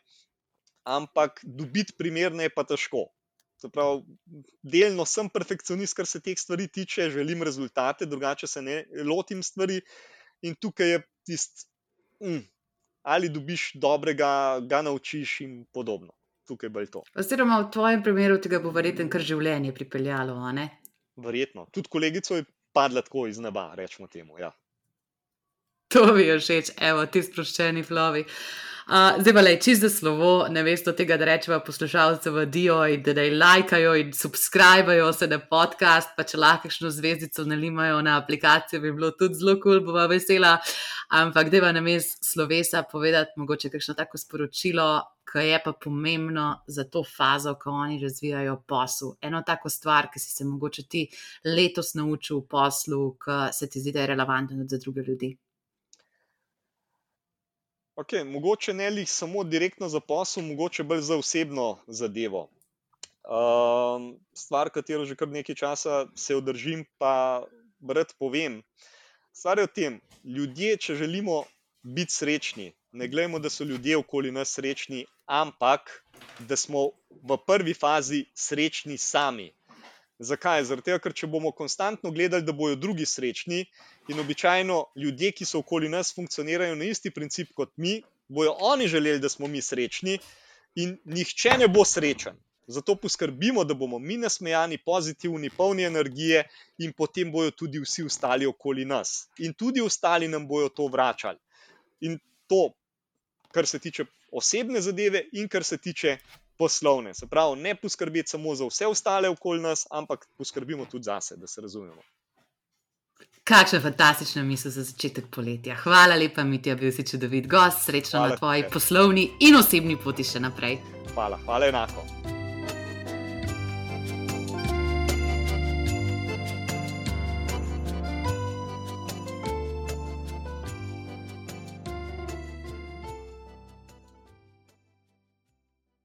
ampak dobiti primerne je pa težko. Se pravi, delno sem perfekcionist, kar se teh stvari tiče, želim rezultate, drugače se ne lotim stvari in tukaj je tist, mm, ali dobiš dobrega, ga naučiš in podobno. Tukaj bo to. Oziroma v tvojem primeru tega bo verjetno kar življenje pripeljalo, a ne? Verjetno. Tudi kolegico je padla tako iz neba, rečemo temu, ja. To mi je všeč, evo, ti sproščeni flovi. Uh, zdaj pa lej, čist za slovo, ne veste od tega, da rečeva poslušalce vadijo in da daj lajkajo in subscribajo se na podcast, pa če lahko kakšno zvezdico nalimajo na aplikacijo, bi bilo tudi zelo kul, bova vesela, ampak dajva namesto slovesa povedati mogoče kakšno tako sporočilo, ki je pa pomembno za to fazo, ko oni razvijajo posel. Eno tako stvar, ki si se mogoče ti letos naučil v poslu, ki se ti zdi, da je relevantno za druge ljudi. Okay, mogoče ne lih samo direktno za posel, mogoče bolj za osebno zadevo. Um, stvar, katero že kar nekaj časa se održim, pa rad povem. Stvar je v tem, ljudje, če želimo biti srečni, ne gledamo, da so ljudje okoli nas srečni, ampak da smo v prvi fazi srečni sami. Zakaj? Zaradi tega, ker če bomo konstantno gledali, da bojo drugi srečni, in običajno ljudje, ki so okoli nas, funkcionirajo na isti princip kot mi, bojo oni želeli, da smo mi srečni, in nihče ne bo srečen. Zato poskrbimo, da bomo mi nasmejani, pozitivni, polni energije, in potem bojo tudi vsi ostali okoli nas. In tudi ostali nam bojo to vračali. In to, kar se tiče osebne zadeve in kar se tiče poslovne. Se pravi, ne poskrbeti samo za vse ostale okoli nas, ampak poskrbimo tudi zase, da se razumemo. Kakšna fantastična misel za začetek poletja. Hvala lepa, Mitja, bil si čudovit gost, srečno hvala na tvoji te. Poslovni in osebni poti še naprej. Hvala, hvala enako.